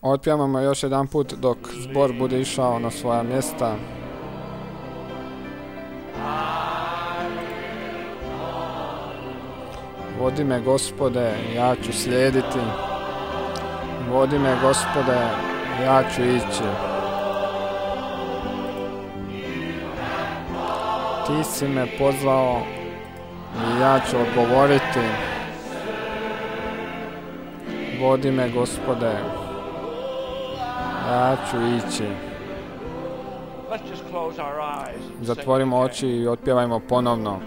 Otpjevamo još jedan put dok zbor bude išao na svoja mjesta. Vodi me, Gospode, ja ću slijediti. Vodi me, Gospode, ja ću ići. Ti si me pozvao i ja ću odgovoriti. Vodi me, Gospode, ja ću ići. Zatvorimo oči i otpjevajmo ponovno.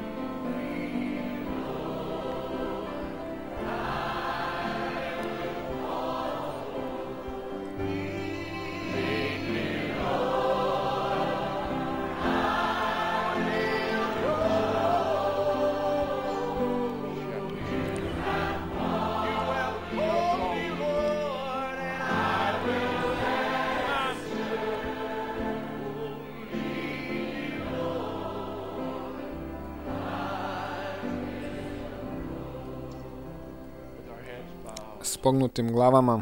S pognutim glavama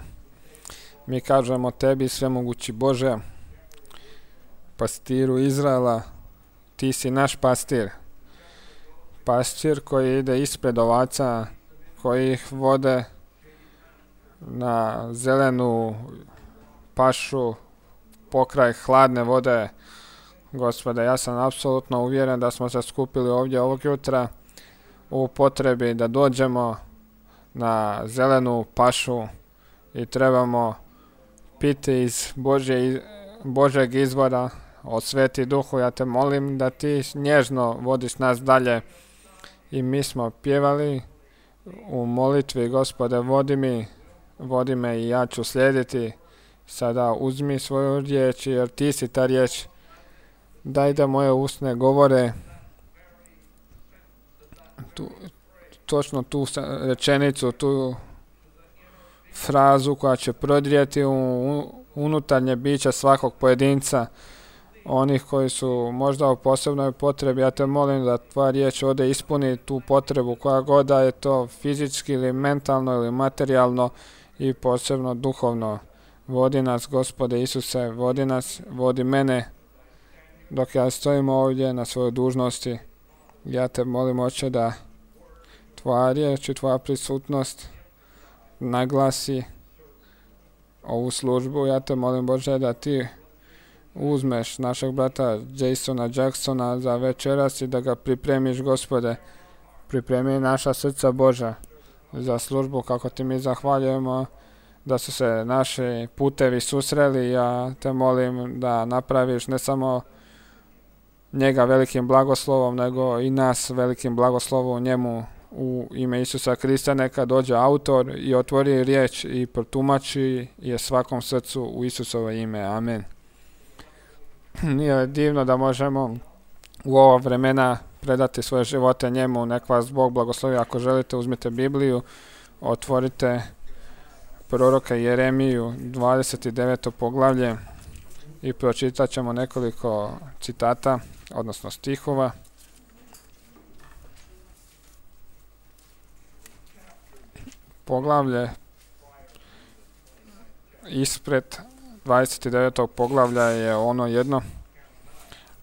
mi kažemo tebi, svemogući Bože, pastiru Izraela, ti si naš pastir. Pastir koji ide ispred ovaca, koji ih vode na zelenu pašu pokraj hladne vode. Gospode, ja sam apsolutno uvjeren da smo se skupili ovdje ovog jutra u potrebi da dođemo na zelenu pašu i trebamo piti iz Božeg izvora od Sveti Duhu. Ja te molim da ti nježno vodiš nas dalje. I mi smo pjevali u molitvi, Gospode, vodi me i ja ću slijediti. Sada uzmi svoju riječ, jer ti si ta riječ. Daj da moje usne govore točno tu rečenicu, tu frazu koja će prodrijeti u unutarnje biće svakog pojedinca, onih koji su možda u posebnoj potrebi. Ja te molim da tvoja riječ ode ispuni tu potrebu, koja god da je to fizički ili mentalno ili materijalno i posebno duhovno. Vodi nas, Gospode Isuse, vodi nas, vodi mene dok ja stojim ovdje na svojoj dužnosti. Ja te molim, Oče, da tvoja riječ i tvoja prisutnost naglasi ovu službu. Ja te molim, Bože, da ti uzmeš našeg brata Jasona Jacksona za večeras i da ga pripremiš, Gospode. Pripremi naša srca, Boža, za službu, kako ti mi zahvaljujemo da su se naši putevi susreli. Ja te molim da napraviš ne samo njega velikim blagoslovom, nego i nas velikim blagoslovom u njemu. U ime Isusa Krista neka dođe autor i otvori riječ i protumači je svakom srcu u Isusovo ime. Amen. Nije divno da možemo u ova vremena predati svoje živote njemu. Nek vas Bog blagoslovi. Ako želite, uzmite Bibliju, otvorite proroka Jeremiju 29. poglavlje i pročitat ćemo nekoliko citata, odnosno stihova. Poglavlje ispred 29. poglavlja je ono jedno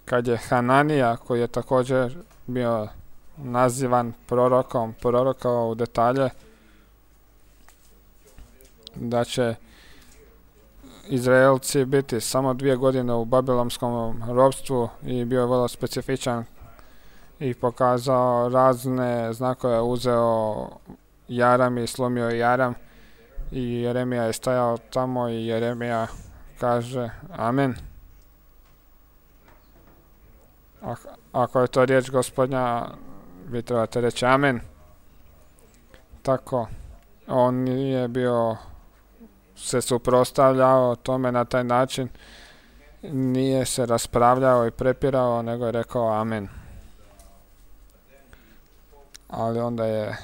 kad je Hananija, koji je također bio nazivan prorokom, prorokao u detalje da će Izraelci biti samo 2 godine u babilonskom ropstvu, i bio je vrlo specifičan i pokazao razne znakove. Uzeo jaram i slomio jaram, i Jeremija je stajao tamo i Jeremija kaže amen. Ako je to riječ Gospodnja, vi trebate reći amen. Tako, on nije bio se suprotstavljao tome na taj način, nije se raspravljao i prepirao, nego je rekao amen. Ali onda je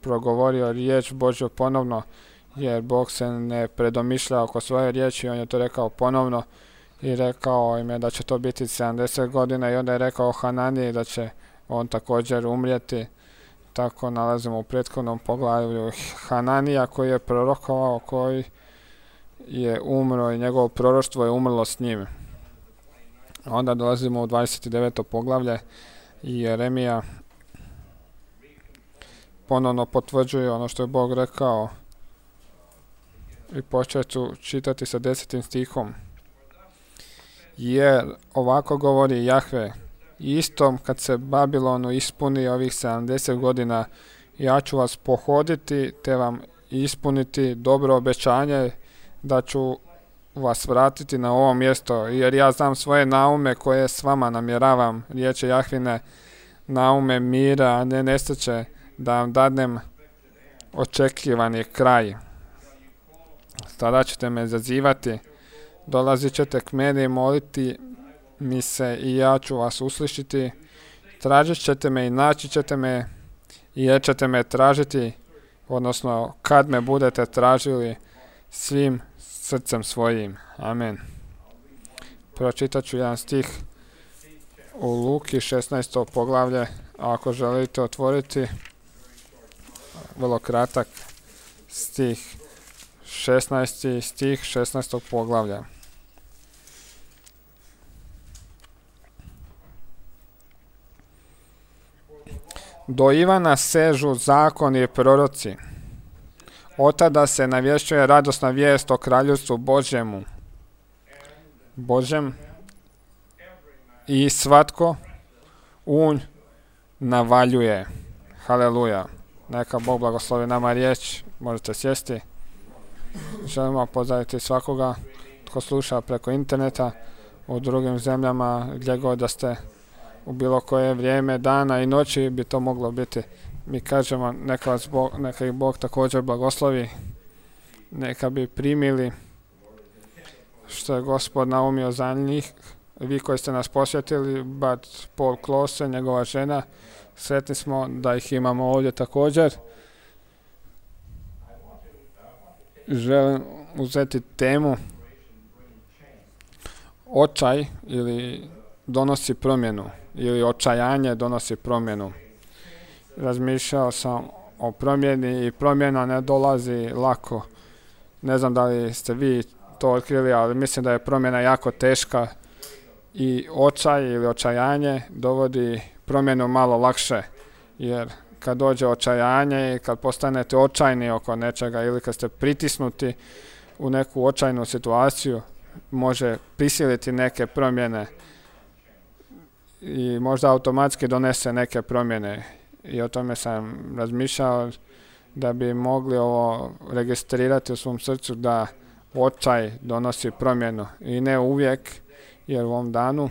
progovorio riječ Božju ponovno, jer Bog se ne predomišlja oko svoje riječi. On je to rekao ponovno i rekao im je da će to biti 70 godina, i onda je rekao Hananiji da će on također umrijeti. Tako nalazimo u prethodnom poglavlju Hananija, koji je prorokovao, koji je umro i njegovo proroštvo je umrlo s njim. Onda dolazimo u 29. poglavlje i Jeremija ponovno potvrđuje ono što je Bog rekao i počet ću čitati sa 10. stihom. Jer ovako govori Jahve, istom kad se Babilonu ispuni ovih 70 godina, ja ću vas pohoditi te vam ispuniti dobro obećanje da ću vas vratiti na ovo mjesto, jer ja znam svoje naume koje s vama namjeravam, riječi Jahvine, naume mira, a ne nesreće, da vam dadnem očekivani kraj. Tada ćete me zazivati, dolazit ćete k meni i moliti mi se i ja ću vas uslišiti, tražit ćete me i naći ćete me i jer ćete me tražiti, odnosno kad me budete tražili svim srcem svojim. Amen. Pročitat ću jedan stih u Luki 16. poglavlje, ako želite otvoriti, vrlo kratak stih, 16. stih 16. poglavlja. Do Ivana sežu zakoni i proroci. Otada se navješćuje radosna vijest o kraljevstvu Božjem i svatko unj navaljuje. Haleluja. Neka Bog blagoslovi nama riječ. Možete sjesti. Želimo pozdraviti svakoga tko sluša preko interneta u drugim zemljama, gdje god da ste, u bilo koje vrijeme dana i noći bi to moglo biti. Mi kažemo neka ih Bog također blagoslovi, neka bi primili što je Gospod naumio za njih. Vi koji ste nas posjetili, brat Paul Klose, njegova žena, sretni smo da ih imamo ovdje također. Želim uzeti temu očaj ili donosi promjenu, ili očajanje donosi promjenu. Razmišljao sam o promjeni i promjena ne dolazi lako. Ne znam da li ste vi to otkrili, ali mislim da je promjena jako teška i očaj ili očajanje dovodi promjenu malo lakše, jer kad dođe očajanje i kad postanete očajni oko nečega ili kad ste pritisnuti u neku očajnu situaciju, može prisiliti neke promjene i možda automatski donese neke promjene. I o tome sam razmišljao da bi mogli ovo registrirati u svom srcu, da očaj donosi promjenu i ne uvijek, jer u ovom danu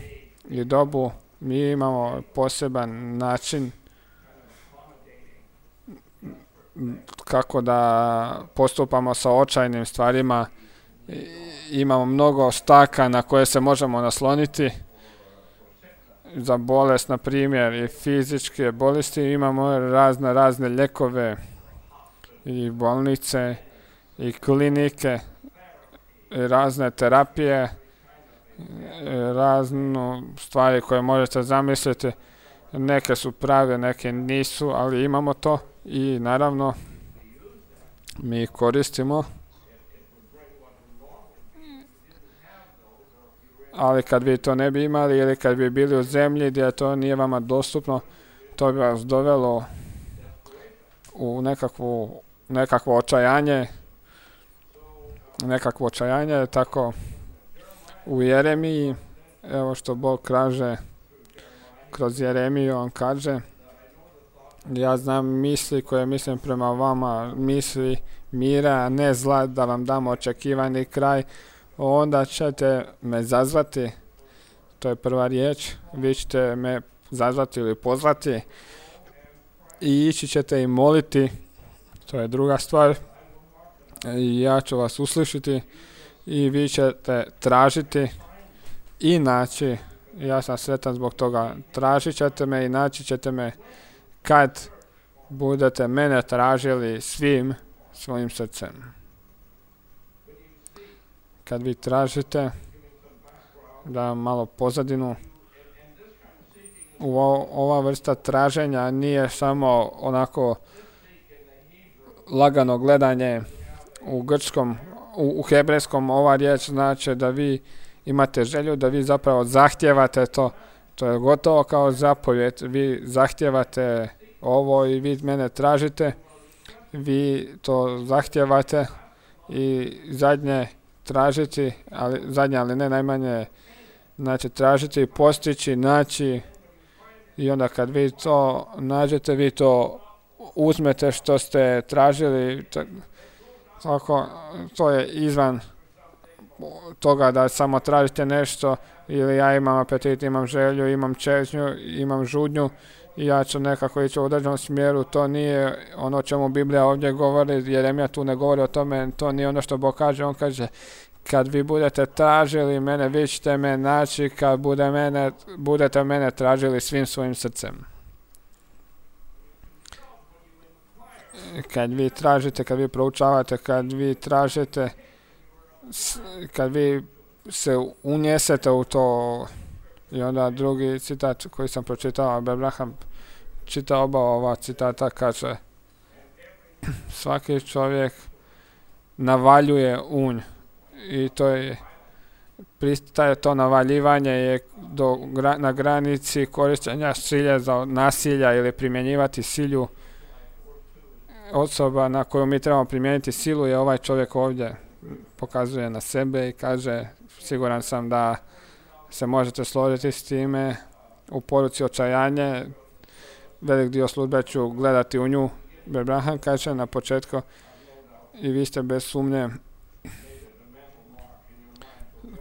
i dobu mi imamo poseban način kako da postupamo sa očajnim stvarima. Imamo mnogo staka na koje se možemo nasloniti. Za bolest, na primjer, i fizičke bolesti imamo razne lijekove i bolnice i klinike i razne terapije, razne stvari koje možete zamisliti. Neke su prave, neke nisu, ali imamo to i naravno mi koristimo. Ali kad vi to ne bi imali ili kad bi bili u zemlji gdje to nije vama dostupno, to bi vas dovelo u nekakvo očajanje, tako u Jeremiji, evo što Bog kaže kroz Jeremiju, on kaže: ja znam misli koje mislim prema vama, misli mira, a ne zla, da vam dam očekivani kraj. Onda ćete me zazvati, to je prva riječ, vi ćete me zazvati ili pozvati i ići ćete i moliti, to je druga stvar, i ja ću vas uslišiti i vi ćete tražiti i naći. Ja sam sretan zbog toga. Tražit ćete me i naći ćete me kad budete mene tražili svim svojim srcem. Kad vi tražite, da malo pozadinu, ova vrsta traženja nije samo onako lagano gledanje u grčkom u hebrejskom ova riječ znači da vi imate želju, da vi zapravo zahtijevate to. To je gotovo kao zapovjed. Vi zahtijevate ovo i vi mene tražite. Vi to zahtijevate i zadnje tražiti, ali ne najmanje, znači tražiti, postići, naći i onda kad vi to nađete, vi to uzmete što ste tražili. Tako, to je izvan toga da samo tražite nešto ili ja imam apetit, imam želju, imam čežnju, imam žudnju i ja ću nekako ići u određenom smjeru. To nije ono o čemu Biblija ovdje govori, Jeremija tu ne govori o tome, to nije ono što Bog kaže. On kaže, kad vi budete tražili mene, vi ćete me naći kad budete mene tražili svim svojim srcem. Kad vi tražite, kad vi proučavate, kad vi tražite, kad vi se unjesete u to. I onda drugi citat koji sam pročitao, Abraham čita oba ova citata, kaže svaki čovjek navaljuje unj i to je to navaljivanje je na granici korištenja silje za nasilja ili primjenjivati silu. Osoba na koju mi trebamo primijeniti silu je ovaj čovjek ovdje. Pokazuje na sebe i kaže, siguran sam da se možete složiti s time, u poruci očajanje, velik dio službe ću gledati u nju. Abraham kaže na početku, i vi ste bez sumnje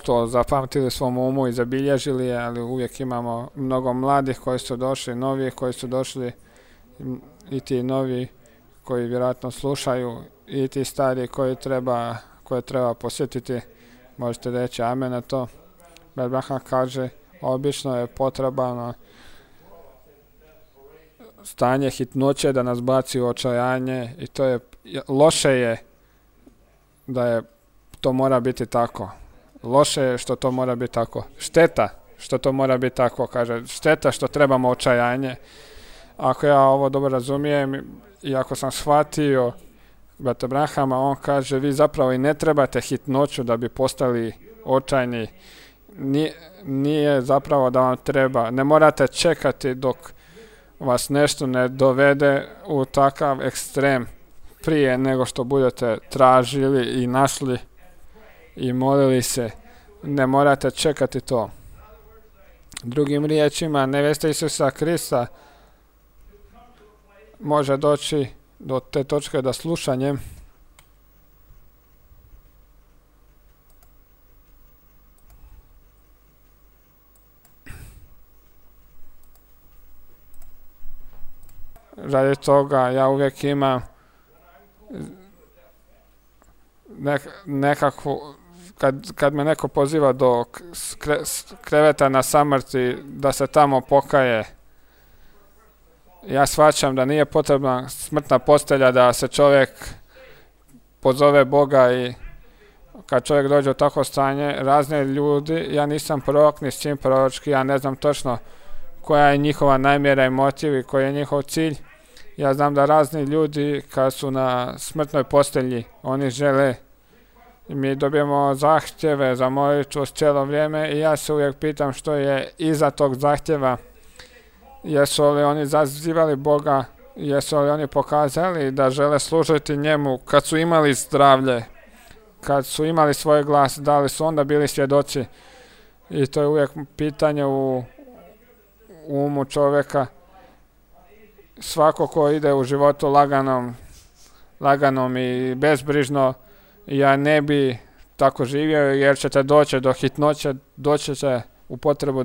to zapamtili svom umu i zabilježili, ali uvijek imamo mnogo mladih koji su došli, novi koji su došli i ti novi koji vjerojatno slušaju i ti stari koje treba posjetiti. Možete reći amen na to. Abraham kaže, obično je potrebno stanje hitnoće da nas baci u očajanje i to je loše je da to mora biti tako. Loše je što to mora biti tako. Šteta što to mora biti tako, kaže. Šteta što trebamo očajanje. Ako ja ovo dobro razumijem i ako sam shvatio brat Abrahama, on kaže, vi zapravo i ne trebate hitnoću da bi postali očajni. Nije zapravo da vam treba. Ne morate čekati dok vas nešto ne dovede u takav ekstrem prije nego što budete tražili i našli i molili se. Ne morate čekati to. Drugim riječima, nevesta Isusa Krista može doći do te točke da slušanjem radi toga ja uvijek imam nekakvu, kad me neko poziva do kreveta na samrti da se tamo pokaje, ja shvaćam da nije potrebna smrtna postelja da se čovjek pozove Boga i kad čovjek dođe u takvo stanje, razne ljudi, ja nisam prorok ni s čim proročki, ja ne znam točno koja je njihova namjera i motiv i koji je njihov cilj. Ja znam da razni ljudi kad su na smrtnoj postelji, oni žele, mi dobijemo zahtjeve za molitvu cijelo vrijeme i ja se uvijek pitam što je iza tog zahtjeva. Jesu li oni zazivali Boga, jesu li oni pokazali da žele služiti njemu kad su imali zdravlje, kad su imali svoj glas, da li su onda bili svjedoci. I to je uvijek pitanje u umu čovjeka. Svako ko ide u životu laganom i bezbrižno, ja ne bi tako živio jer ćete doći do hitnoće, doći će u potrebu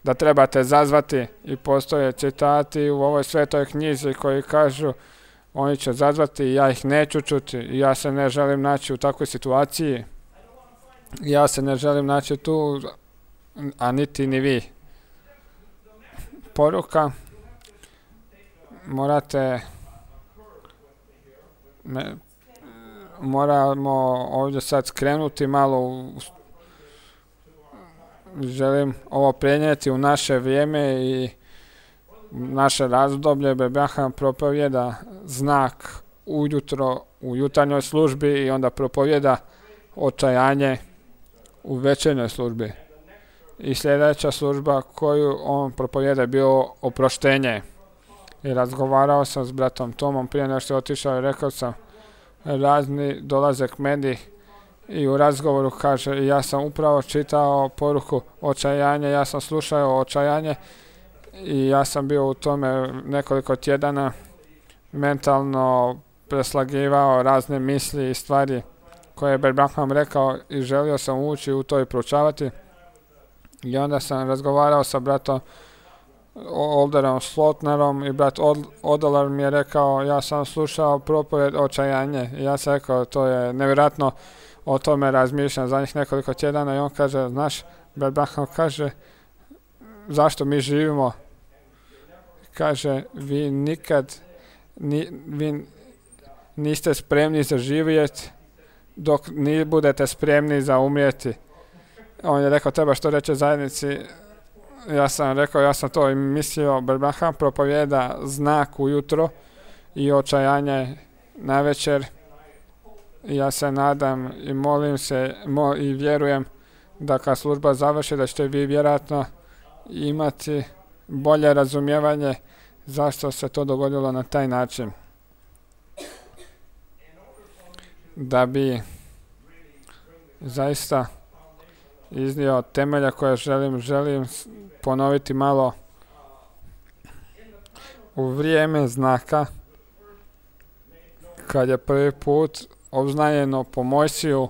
da trebate zazvati i postoje citati u ovoj svetoj knjizi koji kažu oni će zazvati i ja ih neću čuti i ja se ne želim naći u takvoj situaciji. Ja se ne želim naći tu, a niti ni vi. Poruka, moramo ovdje sad skrenuti malo želim ovo prenijeti u naše vrijeme i naše razdoblje. Abraham propovjeda znak ujutro u jutarnjoj službi i onda propovjeda očajanje u večernjoj službi. I sljedeća služba koju on propovjeda je bilo oproštenje. I razgovarao sam s bratom Tomom prije nego što je otišao i rekao sam, razni dolaze k meni i u razgovoru kaže, ja sam upravo čitao poruku očajanje, ja sam slušao očajanje i ja sam bio u tome nekoliko tjedana mentalno preslagivao razne misli i stvari koje je Branham rekao i želio sam ući u to i proučavati. I onda sam razgovarao sa bratom Olderom Slotnerom i brat Odeler mi je rekao, ja sam slušao propovjed očajanje i ja sam rekao, to je nevjerojatno, o tome razmišljam za njih nekoliko tjedana i on kaže, znaš, brat Branham kaže, zašto mi živimo? Kaže, vi nikad vi niste spremni za živjet dok ne budete spremni za umrijeti. On je rekao, treba što reći zajednici. Ja sam rekao, ja sam to i mislio, Branham propovjeda znak ujutro i očajanje navečer. Ja se nadam i molim se i vjerujem da kad služba završi da ćete vi vjerojatno imati bolje razumijevanje zašto se to dogodilo na taj način. Da bi zaista iznio temelja koje želim ponoviti malo. U vrijeme znaka, kad je prvi put obznanjeno po Mojsiju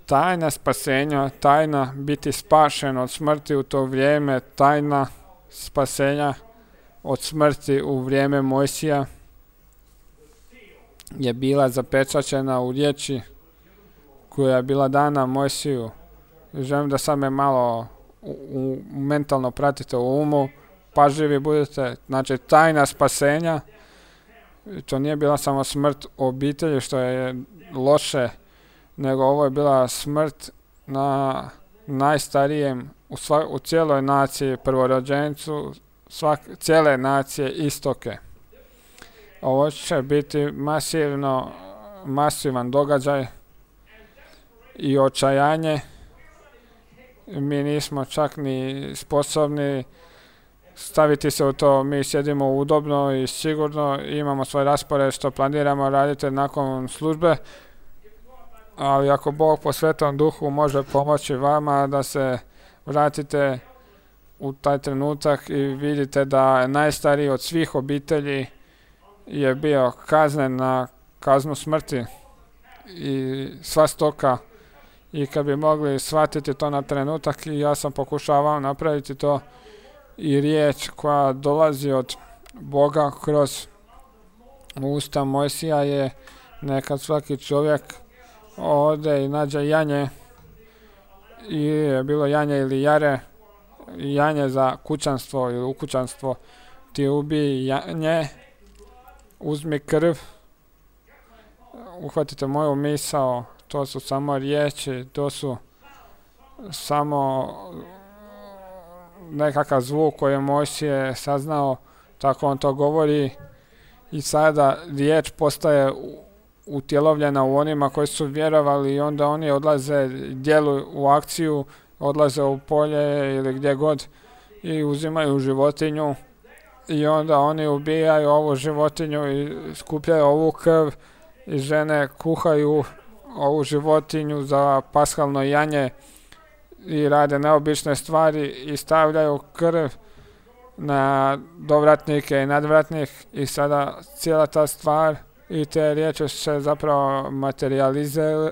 tajna spasenja, tajna biti spašen od smrti u to vrijeme, tajna spasenja od smrti u vrijeme Mojsija je bila zapečaćena u riječi koja je bila dana Mojsiju. Želim da sad me malo mentalno pratite u umu, pažljivi budete. Znači, tajna spasenja, to nije bila samo smrt obitelji, što je loše, nego ovo je bila smrt na najstarijem u cijeloj naciji, prvorođencu cijele nacije istoke. Ovo će biti masivan događaj i očajanje. Mi nismo čak ni sposobni staviti se u to, mi sjedimo udobno i sigurno, imamo svoj raspored što planiramo raditi nakon službe, ali ako Bog po Svetom Duhu može pomoći vama da se vratite u taj trenutak i vidite da najstariji od svih obitelji je bio kaznen na kaznu smrti i sva stoka, i kad bi mogli shvatiti to na trenutak, i ja sam pokušavao napraviti to, i riječ koja dolazi od Boga kroz usta Mojsija je nekad svaki čovjek ode i nađe janje, i je bilo janje ili jare, janje za kućanstvo ili u kućanstvo, ti ubij janje, uzmi krv, uhvatite moju misao, to su samo riječi, to su samo nekakav zvuk koji je Mojsije saznao, tako on to govori, i sada riječ postaje utjelovljena u onima koji su vjerovali, i onda oni odlaze, djeluju u akciju, odlaze u polje ili gdje god i uzimaju životinju, i onda oni ubijaju ovu životinju i skupljaju ovu krv, i žene kuhaju ovu životinju za paskalno janje i rade neobične stvari i stavljaju krv na dovratnike i nadvratnik, i sada cijela ta stvar i te riječi se zapravo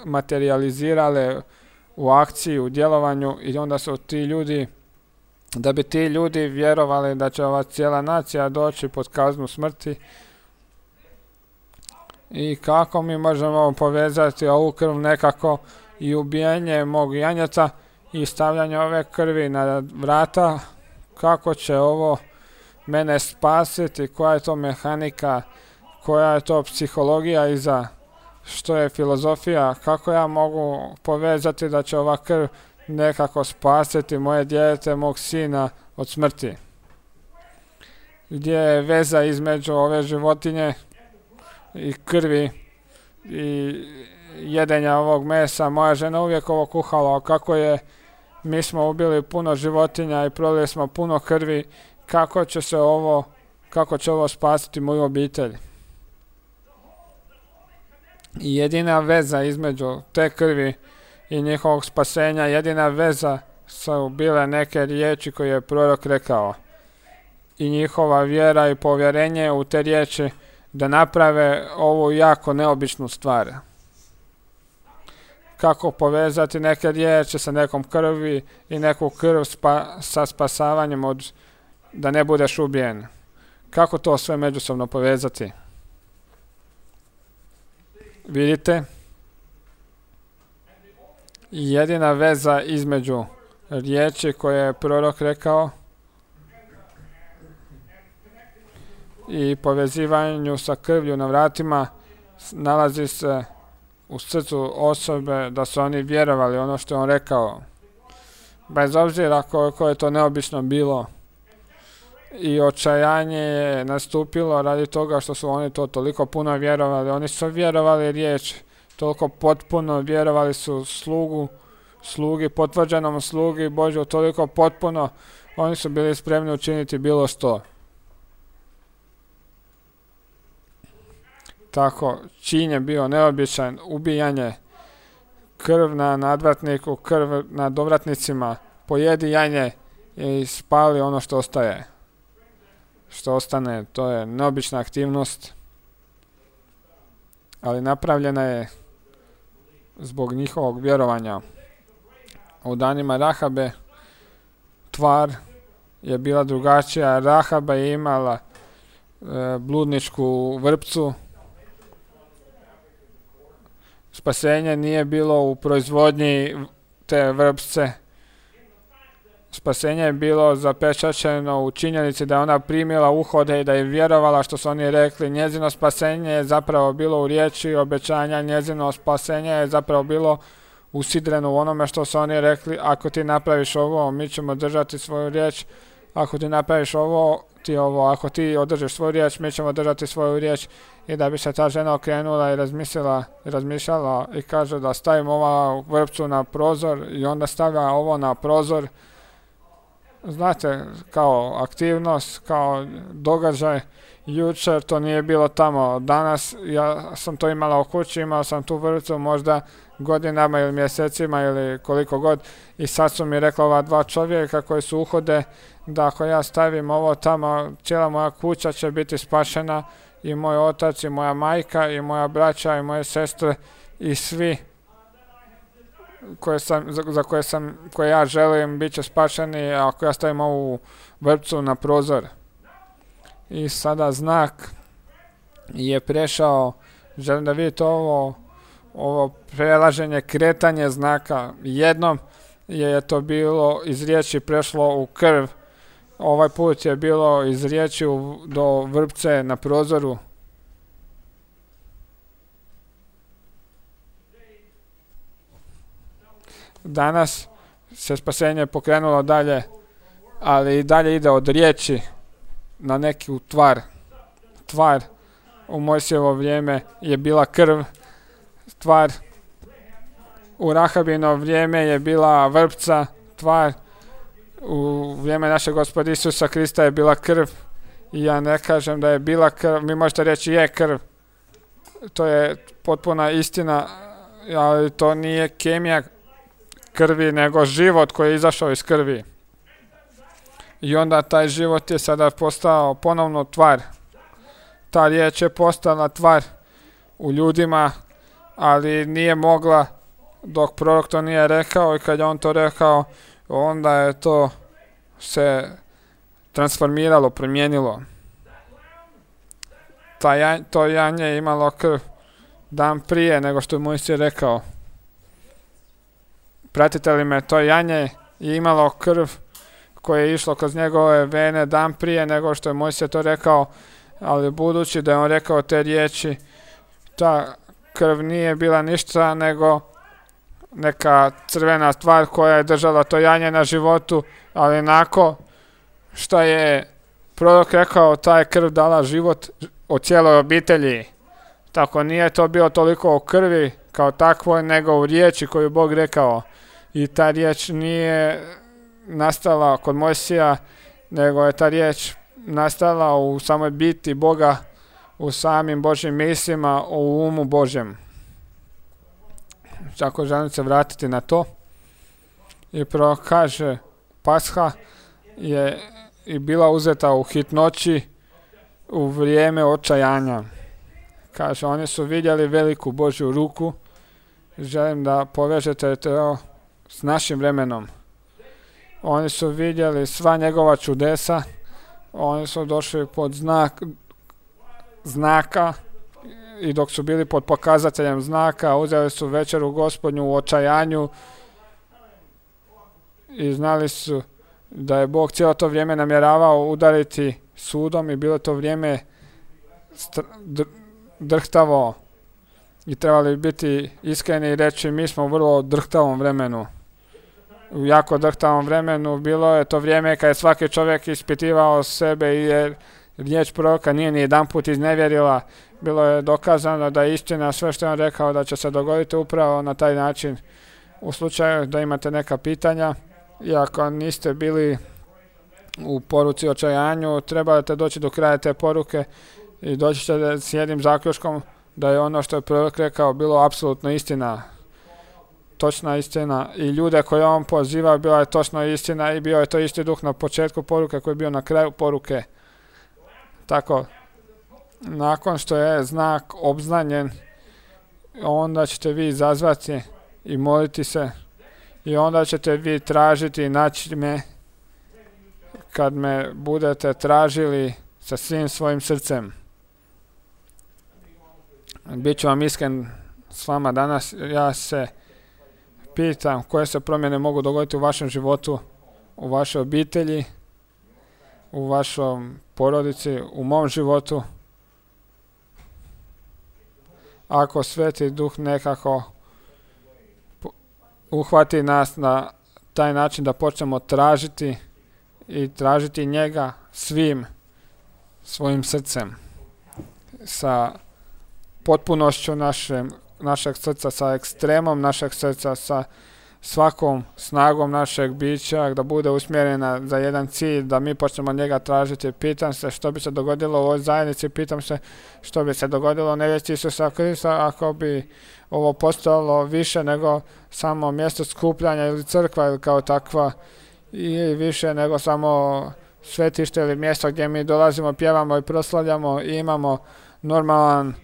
materializirale u akciji, u djelovanju, i onda su ti ljudi, da bi ti ljudi vjerovali da će ova cijela nacija doći pod kaznu smrti. I kako mi možemo povezati ovu krv nekako i ubijanje mog janjeta i stavljanje ove krvi na vrata, kako će ovo mene spasiti, koja je to mehanika, koja je to psihologija iza, što je filozofija, kako ja mogu povezati da će ova krv nekako spasiti moje dijete, mog sina od smrti. Gdje je veza između ove životinje i krvi i jedenja ovog mesa. Moja žena uvijek ovo kuhala, kako je, mi smo ubili puno životinja i prolili smo puno krvi, kako će ovo spasiti moju obitelj. I jedina veza između te krvi i njihovog spasenja, jedina veza su bile neke riječi koje je prorok rekao. I njihova vjera i povjerenje u te riječi da naprave ovu jako neobičnu stvar. Kako povezati neke riječi sa nekom krvi i neku krv sa spasavanjem da ne budeš ubijen. Kako to sve međusobno povezati? Vidite? Jedina veza između riječi koje je prorok rekao i povezivanju sa krvlju na vratima nalazi se u srcu osobe, da su oni vjerovali ono što je on rekao. Bez obzira koliko je to neobično bilo. I očajanje je nastupilo radi toga što su oni to toliko puno vjerovali. Oni su vjerovali riječ, toliko potpuno vjerovali su slugi, potvrđenom slugi Božju, toliko potpuno oni su bili spremni učiniti bilo što. Tako, čin je bio neobičan, ubijanje, krv na nadvratniku, krv na dovratnicima, pojedi janje i spali ono što ostaje. Što ostane, to je neobična aktivnost, ali napravljena je zbog njihovog vjerovanja. U danima Rahabe tvar je bila drugačija. Rahaba je imala bludničku vrpcu. Spasenje nije bilo u proizvodnji te vrpce. Spasenje je bilo zapečaćeno u činjenici da je ona primila uhode i da je vjerovala što su oni rekli. Njezino spasenje je zapravo bilo u riječi obećanja. Njezino spasenje je zapravo bilo usidreno u onome što su oni rekli. Ako ti napraviš ovo, mi ćemo držati svoju riječ. Ako ti napraviš ovo, ti ovo. Ako ti održiš svoju riječ, mi ćemo držati svoju riječ. I da bi se ta žena okrenula i razmišljala i kaže da stavim ovu vrpcu na prozor i onda stavlja ovo na prozor. Znate, kao aktivnost, kao događaj. Jučer to nije bilo tamo. Danas ja sam to imala u kući, imala sam tu vrpcu možda godinama ili mjesecima ili koliko god. I sad su mi rekla ova dva čovjeka koji su uhode da ako ja stavim ovo tamo, cijela moja kuća će biti spašena i moj otac i moja majka i moja braća i moje sestre i svi koje ja želim bit će spašeni ako ja stavim ovu vrpcu na prozor. I sada znak je prešao, želim da vidite ovo prelaženje, kretanje znaka. Jednom je to bilo iz riječi prešlo u krv, ovaj put je bilo iz riječi do vrpce na prozoru. Danas se spasenje pokrenulo dalje, ali i dalje ide od riječi na neku tvar. Tvar u Mojsijevo vrijeme je bila krv, tvar u Rahabino vrijeme je bila vrpca, tvar u vrijeme našeg Gospoda Isusa Krista je bila krv. I ja ne kažem da je bila krv, vi možete reći je krv, to je potpuna istina, ali to nije kemija krvi, nego život koji je izašao iz krvi. I onda taj život je sada postao ponovno tvar. Ta riječ je postala tvar u ljudima, ali nije mogla dok prorok to nije rekao, i kad je on to rekao, onda je to se transformiralo, promijenilo. To janje je imalo krv dan prije nego što je Mojsije rekao. Pratite li me? To janje je imalo krv koje je išlo kroz njegove vene dan prije nego što je Mojsije to rekao, ali budući da je on rekao te riječi, ta krv nije bila ništa nego neka crvena stvar koja je držala to janje na životu, ali nakon što je prorok rekao, ta je krv dala život o cijeloj obitelji. Tako nije to bilo toliko u krvi kao takvoj, nego u riječi koju Bog rekao. I ta riječ nije nastala kod Mojsija, nego je ta riječ nastala u samoj biti Boga, u samim Božjim mislima, u umu Božjem. Tako želim se vratiti na to. I prorok kaže, Pasha je i bila uzeta u hitnoći u vrijeme očajanja. Kaže, oni su vidjeli veliku Božju ruku. Želim da povežete to s našim vremenom. Oni su vidjeli sva njegova čudesa. Oni su došli pod znaka i dok su bili pod pokazateljem znaka, uzeli su večeru Gospodnju u očajanju i znali su da je Bog cijelo to vrijeme namjeravao udariti sudom i bilo to vrijeme drhtavo i trebali biti iskreni i reći mi smo u vrlo drhtavom vremenu. U jako drhtavom vremenu bilo je to vrijeme kad je svaki čovjek ispitivao sebe i jer riječ proroka nije ni jedan put iznevjerila. Bilo je dokazano da je istina sve što je on rekao da će se dogoditi upravo na taj način. U slučaju da imate neka pitanja i ako niste bili u poruci očajanju, trebate doći do kraja te poruke i doći ćete s jednim zaključkom da je ono što je prorok rekao bilo apsolutno istina. Točna istina i ljude koje on pozivao bila je točno istina i bio je to isti duh na početku poruke koji je bio na kraju poruke. Tako, nakon što je znak obznanjen, onda ćete vi zazvati i moliti se i onda ćete vi tražiti i naći me kad me budete tražili sa svim svojim srcem. Biću vam iskren s vama danas, ja se pitam koje se promjene mogu dogoditi u vašem životu, u vašoj obitelji, u vašom porodici, u mom životu. Ako Sveti Duh nekako uhvati nas na taj način da počnemo tražiti i tražiti njega svim svojim srcem, sa potpunošću našeg srca, sa ekstremom našeg srca, sa svakom snagom našeg bića, da bude usmjerena za jedan cilj, da mi počnemo njega tražiti. Pitam se što bi se dogodilo u ovoj zajednici, pitam se što bi se dogodilo u nevjesti Isusa Krista ako bi ovo postalo više nego samo mjesto skupljanja ili crkva ili kao takva, i više nego samo svetište ili mjesto gdje mi dolazimo, pjevamo i proslavljamo i imamo normalan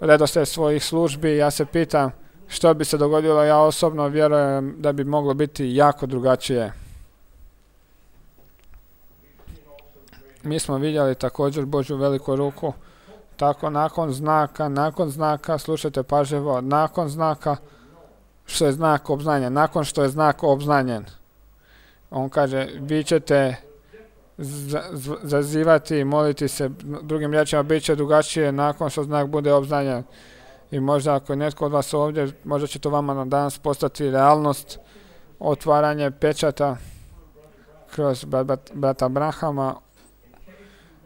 redoslijed svojih službi. Ja se pitam što bi se dogodilo, ja osobno vjerujem da bi moglo biti jako drugačije. Mi smo vidjeli također Božju veliku ruku, tako nakon znaka, slušajte pažljivo, nakon znaka, što je znak obznanjen, nakon što je znak obznanjen, on kaže, vi ćete zazivati i moliti se, drugim riječima bit će drugačije nakon što znak bude obznanjen. I možda ako je netko od vas ovdje, možda će to vama danas postati realnost, otvaranje pečata kroz brata Branhama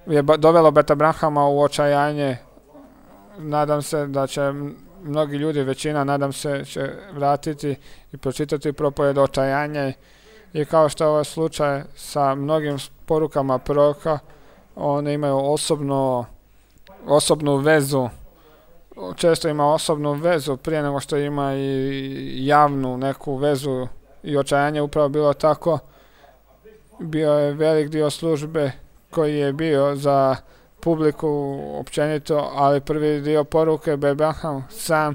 je dovelo brata Branhama u očajanje. Nadam se da će mnogi ljudi, većina, nadam se, će vratiti i pročitati propovjed očajanje. I kao što je ovaj slučaj sa mnogim porukama proroka, one imaju osobnu vezu. Često ima osobnu vezu prije nego što ima i javnu neku vezu, i očajanje upravo bilo tako. Bio je velik dio službe koji je bio za publiku općenito, ali prvi dio poruke Branham sam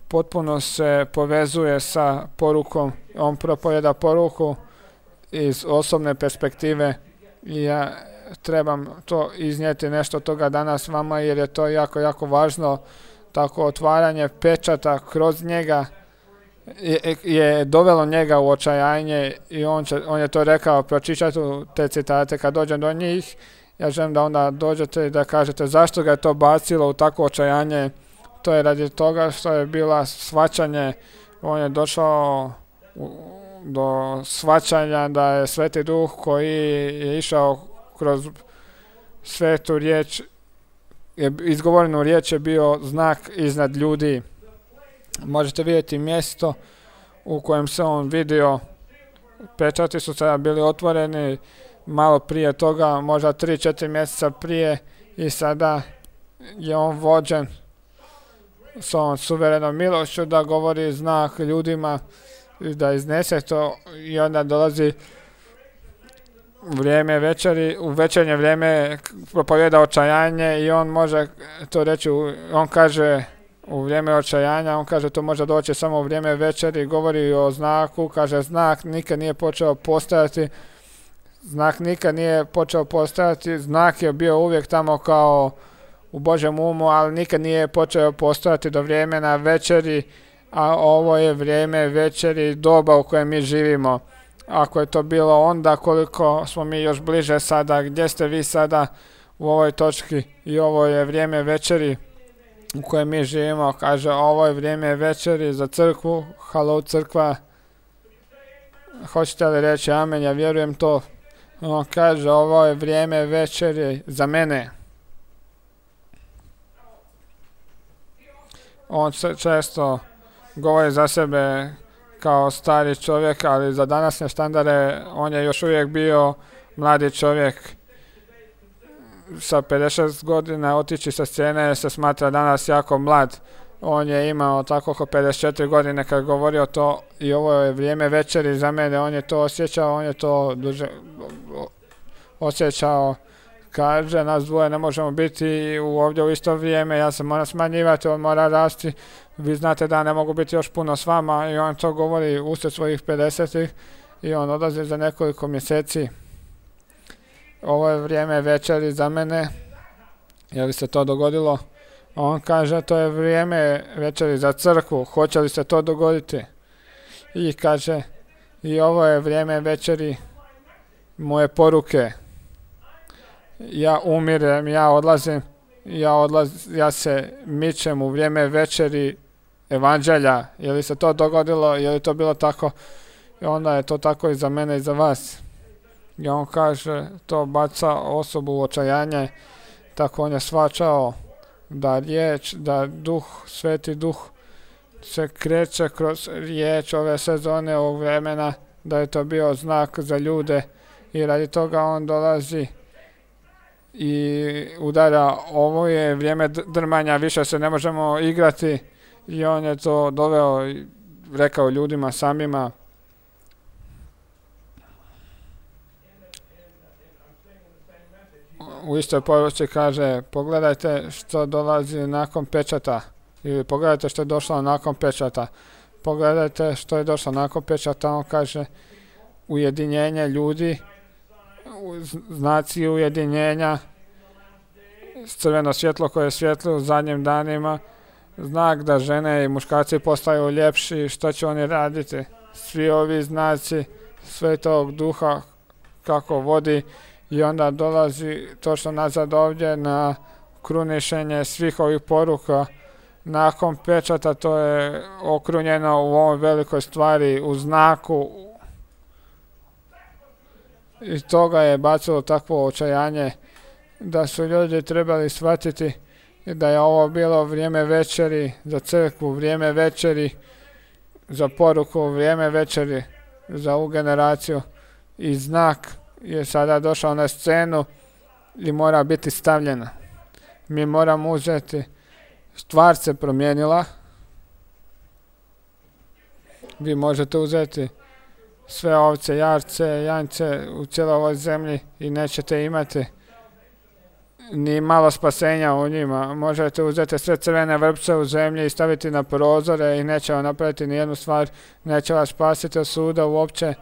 potpuno se povezuje sa porukom. On propovjeda poruku iz osobne perspektive i ja trebam to iznijeti nešto toga danas vama jer je to jako, jako važno. Tako otvaranje pečata kroz njega je dovelo njega u očajanje i on je to rekao. Pročitajte te citate kad dođem do njih. Ja želim da onda dođete i da kažete zašto ga je to bacilo u takvo očajanje. To je radi toga što je bila shvaćanje. On je došao do shvaćanja da je Sveti Duh koji je išao kroz svetu riječ izgovorenu riječ je bio znak iznad ljudi. Možete vidjeti mjesto u kojem se on vidio. Pečati su sada bili otvoreni malo prije toga, možda 3-4 mjeseca prije, i sada je on vođen s ovom suverenom milošću da govori znak ljudima, da iznese to, i onda dolazi vrijeme večeri, u večernje vrijeme propovjeda očajanje i on može to reći, on kaže u vrijeme očajanja, on kaže to može doći samo u vrijeme večeri, govori o znaku, kaže znak nikad nije počeo postojati, znak je bio uvijek tamo kao u Božjem umu, ali nikad nije počeo postojati do vremena večeri, a ovo je vrijeme večeri, doba u kojem mi živimo. Ako je to bilo onda, koliko smo mi još bliže sada, gdje ste vi sada u ovoj točki, i ovo je vrijeme večeri u kojem mi živimo. Kaže, ovo je vrijeme večeri za crkvu. Halo crkva, hoćete li reći amen? Ja vjerujem to. On kaže, ovo je vrijeme večeri za mene. On često govori za sebe kao stari čovjek, ali za današnje standarde on je još uvijek bio mladi čovjek. Sa 56 godina otići sa scene se smatra danas jako mlad. On je imao tako oko 54 godine kad govorio to, i ovo je vrijeme večeri za mene. On je to osjećao, on je to duže osjećao. Kaže, nas dvoje ne možemo biti ovdje u isto vrijeme, ja se moram smanjivati, on mora rasti. Vi znate da ne mogu biti još puno s vama, i on to govori usred svojih 50-ih, i on odlazi za nekoliko mjeseci. Ovo je vrijeme večeri za mene. Je li se to dogodilo? On kaže, to je vrijeme večeri za crkvu. Hoće li se to dogoditi? I kaže, i ovo je vrijeme večeri moje poruke. Ja umirem, ja odlazim, ja se mičem u vrijeme večeri evanđelja. Je li se to dogodilo? Je li to bilo tako? I onda je to tako i za mene i za vas. I on kaže, to baca osobu u očajanje. Tako on je shvaćao da riječ, da duh, sveti duh se kreće kroz riječ ove sezone, ovog vremena, da je to bio znak za ljude, i radi toga on dolazi i udara. Ovo je vrijeme drmanja, više se ne možemo igrati, i on je to doveo i rekao ljudima samima. U istoj poruci kaže, pogledajte što dolazi nakon pečata, ili pogledajte što je došlo nakon pečata. Pogledajte što je došlo nakon pečata. On kaže, ujedinjenje ljudi, znaci ujedinjenja, crveno svjetlo koje svijetli u zadnjim danima, znak da žene i muškarci postaju ljepši. Što će oni raditi? Svi ovi znaci Svetog Duha kako vodi, i onda dolazi točno nazad ovdje na krunišenje svih ovih poruka. Nakon pečata to je okrunjeno u ovoj velikoj stvari, u znaku, i toga je bacilo takvo očajanje da su ljudi trebali shvatiti da je ovo bilo vrijeme večeri za crkvu, vrijeme večeri za poruku, vrijeme večeri za ovu generaciju, i znak je sada došao na scenu i mora biti stavljena. Mi moramo uzeti, stvar se promijenila. Vi možete uzeti sve ovce, jarce, janjce u cijeloj ovoj zemlji i nećete imati ni malo spasenja u njima. Možete uzeti sve crvene vrpce u zemlji i staviti na prozore i neće vam napraviti nijednu stvar, neće vas spasiti od suda uopće,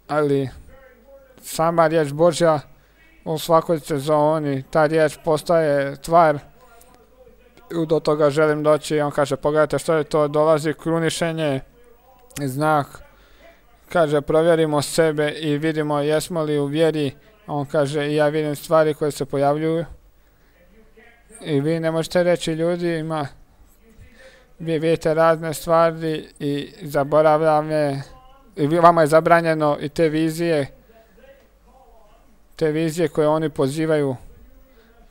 ali sama riječ Božja u svakoj sezoni, ta riječ postaje tvar. Do toga želim doći. On kaže, pogledajte što je to, dolazi krunišenje, znak. Kaže, provjerimo sebe i vidimo jesmo li u vjeri. On kaže, ja vidim stvari koje se pojavljuju. I vi ne možete reći ljudima, vi vidite razne stvari i zaboravljame, i vama je zabranjeno i te vizije koje oni pozivaju,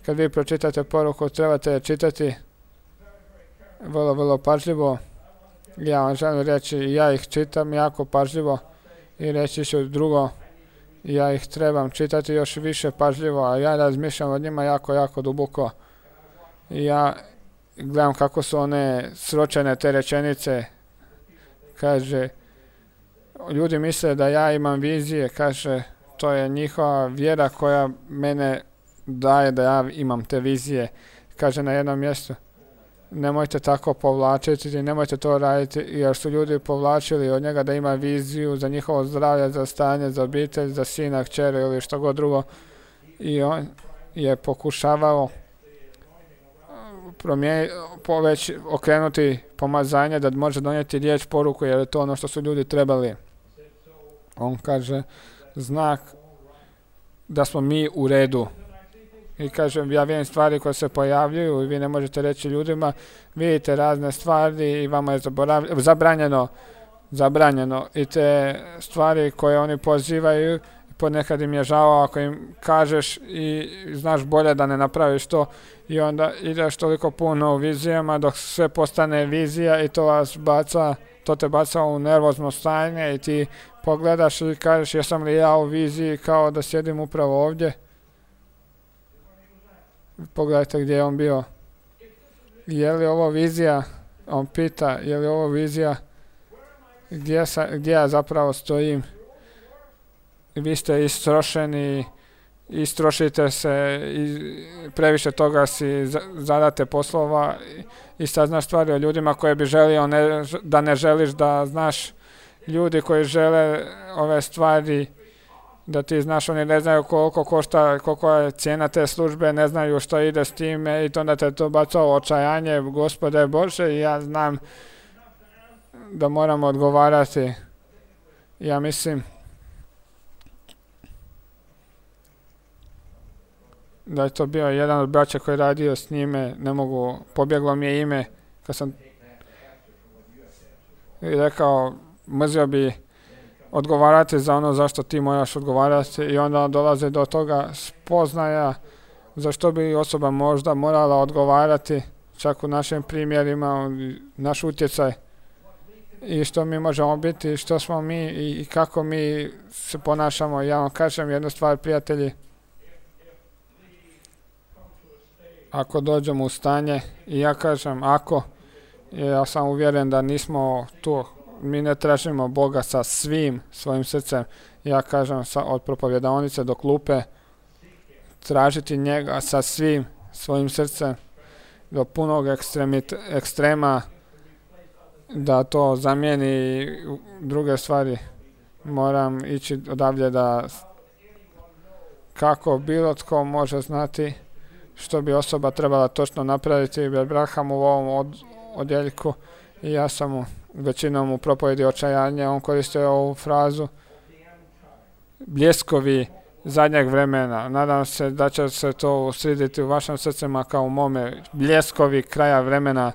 kad vi pročitate poruku, trebate čitati vrlo, vrlo pažljivo. Ja vam želim reći, ja ih čitam jako pažljivo i reći ću drugo, ja ih trebam čitati još više pažljivo, a ja razmišljam o njima jako, jako duboko. Ja gledam kako su one sročene te rečenice. Kaže, ljudi misle da ja imam vizije, kaže, to je njihova vjera koja mene daje da ja imam te vizije. Kaže na jednom mjestu, nemojte tako povlačiti, nemojte to raditi, jer su ljudi povlačili od njega da ima viziju za njihovo zdravlje, za stanje, za obitelj, za sina, kćer ili što god drugo. I on je pokušavao okrenuti pomazanje da može donijeti riječ, poruku, jer je to ono što su ljudi trebali. On kaže, znak da smo mi u redu. I kažem, ja vidim stvari koje se pojavljuju i vi ne možete reći ljudima, vidite razne stvari i vama je zabranjeno. I te stvari koje oni pozivaju, ponekad im je žao ako im kažeš i znaš bolje da ne napraviš to i onda ideš toliko puno u vizijama dok sve postane vizija i to te baca u nervozno stanje i ti pogledaš i kažeš, jesam li ja u viziji kao da sjedim upravo ovdje. Pogledajte gdje je on bio. Je li ovo vizija? On pita, je li ovo vizija? Gdje ja zapravo stojim? Vi ste istrošeni, istrošite se i previše toga si zadate poslova i sad znaš stvari o ljudima koje bi želio da ne želiš da znaš. Ljudi koji žele ove stvari da ti znaš, oni ne znaju koliko košta, koliko je cijena te službe, ne znaju što ide s time i onda te to baca u očajanje, Gospode Bože, i ja znam da moram odgovarati. Ja mislim da je to bio jedan od braća koji je radio s njime, pobjeglo mi je ime, kad sam rekao, mrzio bi odgovarati za ono zašto ti moraš odgovarati i onda dolazi do toga spoznaja zašto bi osoba možda morala odgovarati, čak u našim primjerima, naš utjecaj i što mi možemo biti, što smo mi i kako mi se ponašamo. Ja vam kažem jednu stvar, prijatelji, ako dođemo u stanje, i ja kažem ja sam uvjeren da nismo tu, mi ne tražimo Boga sa svim svojim srcem, ja kažem od propovjedaonice do klupe, tražiti njega sa svim svojim srcem do punog ekstrema, da to zamijeni druge stvari. Moram ići odavdje da kako bilo tko može znati što bi osoba trebala točno napraviti. Abraham u ovom odjeljku i ja sam većinom u propovjedi očajanja, on koristio ovu frazu bljeskovi zadnjeg vremena. Nadam se da će se to usriditi u vašim srcima kao u mome. Bljeskovi kraja vremena.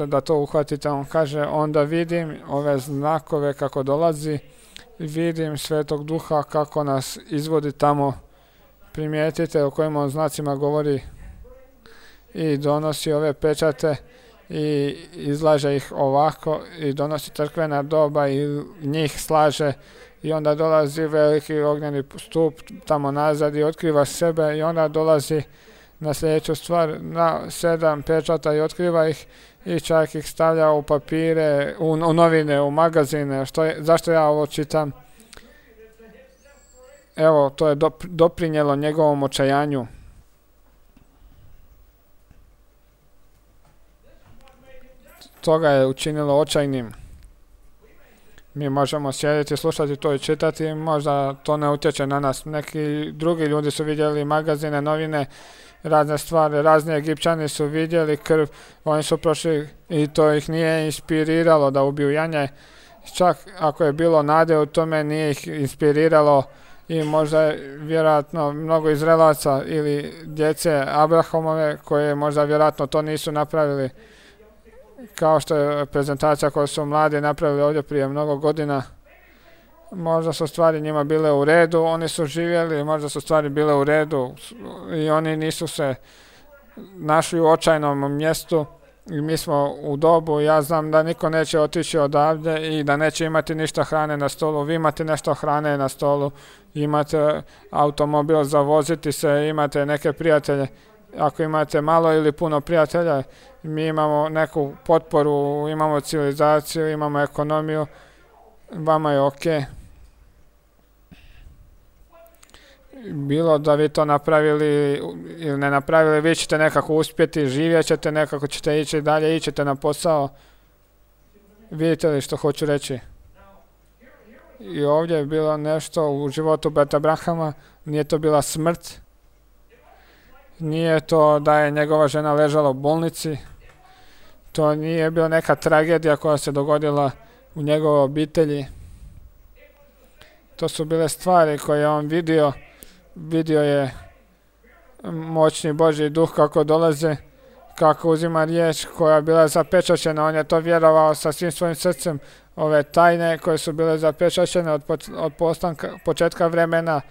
Da to uhvatite. On kaže, onda vidim ove znakove kako dolazi, vidim Svetog Duha kako nas izvodi tamo. Primijetite o kojim on znacima govori i donosi ove pečate i izlaže ih ovako i donosi crkvena doba i njih slaže i onda dolazi veliki ognjeni stup tamo nazad i otkriva sebe i onda dolazi na sljedeću stvar, na 7 pečata i otkriva ih i čak ih stavlja u papire, u novine, u magazine. Zašto ja ovo čitam? Evo, to je doprinijelo njegovom očajanju. To ga je učinilo očajnim. Mi možemo sjediti, slušati to i čitati, možda to ne utječe na nas. Neki drugi ljudi su vidjeli magazine, novine, razne stvari, razni Egipćani su vidjeli krv, oni su prošli i to ih nije inspiriralo da ubiju janje. Čak ako je bilo nade u tome, nije ih inspiriralo i možda vjerojatno mnogo Izraelaca ili djece Abrahamove koje možda vjerojatno to nisu napravili, kao što je prezentacija koju su mladi napravili ovdje prije mnogo godina. Možda su stvari njima bile u redu, oni su živjeli, možda su stvari bile u redu i oni nisu se našli u očajnom mjestu i mi smo u dobu, ja znam da niko neće otići odavde i da neće imati ništa hrane na stolu. Vi imate nešto hrane na stolu, imate automobil za voziti se, imate neke prijatelje. Ako imate malo ili puno prijatelja, mi imamo neku potporu, imamo civilizaciju, imamo ekonomiju, vama je ok. Bilo da vi to napravili ili ne napravili, vi ćete nekako uspjeti, živjet ćete, nekako ćete ići dalje, ićete na posao. Vidite li što hoću reći? I ovdje je bilo nešto u životu brata Brahama, nije to bila smrt, nije to da je njegova žena ležala u bolnici, to nije bila neka tragedija koja se dogodila u njegovoj obitelji. To su bile stvari koje je on vidio. Vidio je moćni Božji duh kako dolaze, kako uzima riječ koja je bila zapečaćena. On je to vjerovao sa svim svojim srcem. Ove tajne koje su bile zapečaćene od početka vremena,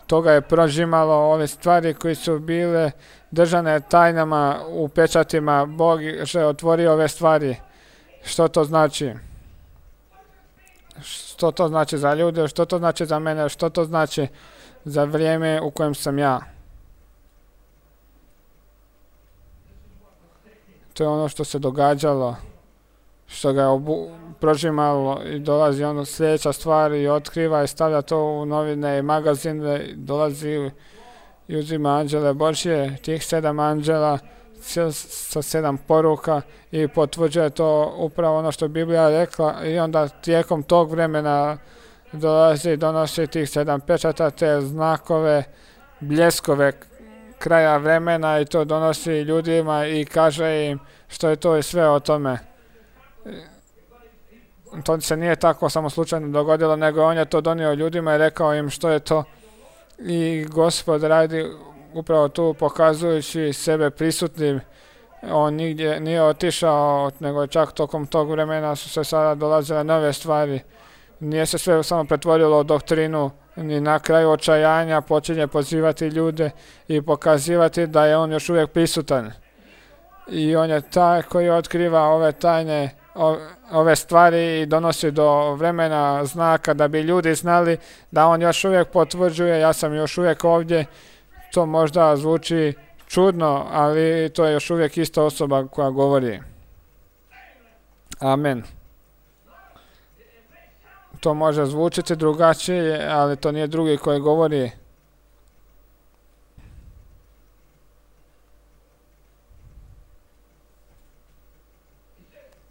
toga je prožimalo. Ove stvari koje su bile držane tajnama u pečatima, Bog je otvorio ove stvari. Što to znači? Što to znači za ljude? Što to znači za mene? Što to znači za vrijeme u kojem sam ja? To je ono što se događalo, što ga je prožimalo i dolazi ono sljedeća stvar i otkriva i stavlja to u novine i magazine, dolazi i uzima anđele Božje, tih 7 anđela sa 7 poruka i potvrđuje to upravo ono što je Biblija rekla i onda tijekom tog vremena dolazi i donosi tih 7 pečata, te znakove, bljeskove kraja vremena i to donosi ljudima i kaže im što je to i sve o tome. To se nije tako samo slučajno dogodilo, nego on je to donio ljudima i rekao im što je to. I Gospod radi upravo tu pokazujući sebe prisutnim. On nigdje nije otišao, nego čak tokom tog vremena su se sada dolazile nove stvari. Nije se sve samo pretvorilo u doktrinu, ni na kraju očajanja počinje pozivati ljude i pokazivati da je on još uvijek prisutan. I on je taj koji otkriva ove tajne, ove stvari i donosi do vremena znaka da bi ljudi znali da on još uvijek potvrđuje, ja sam još uvijek ovdje. To možda zvuči čudno, ali to je još uvijek ista osoba koja govori. Amen. To može zvučiti drugačije, ali to nije drugi koji govori.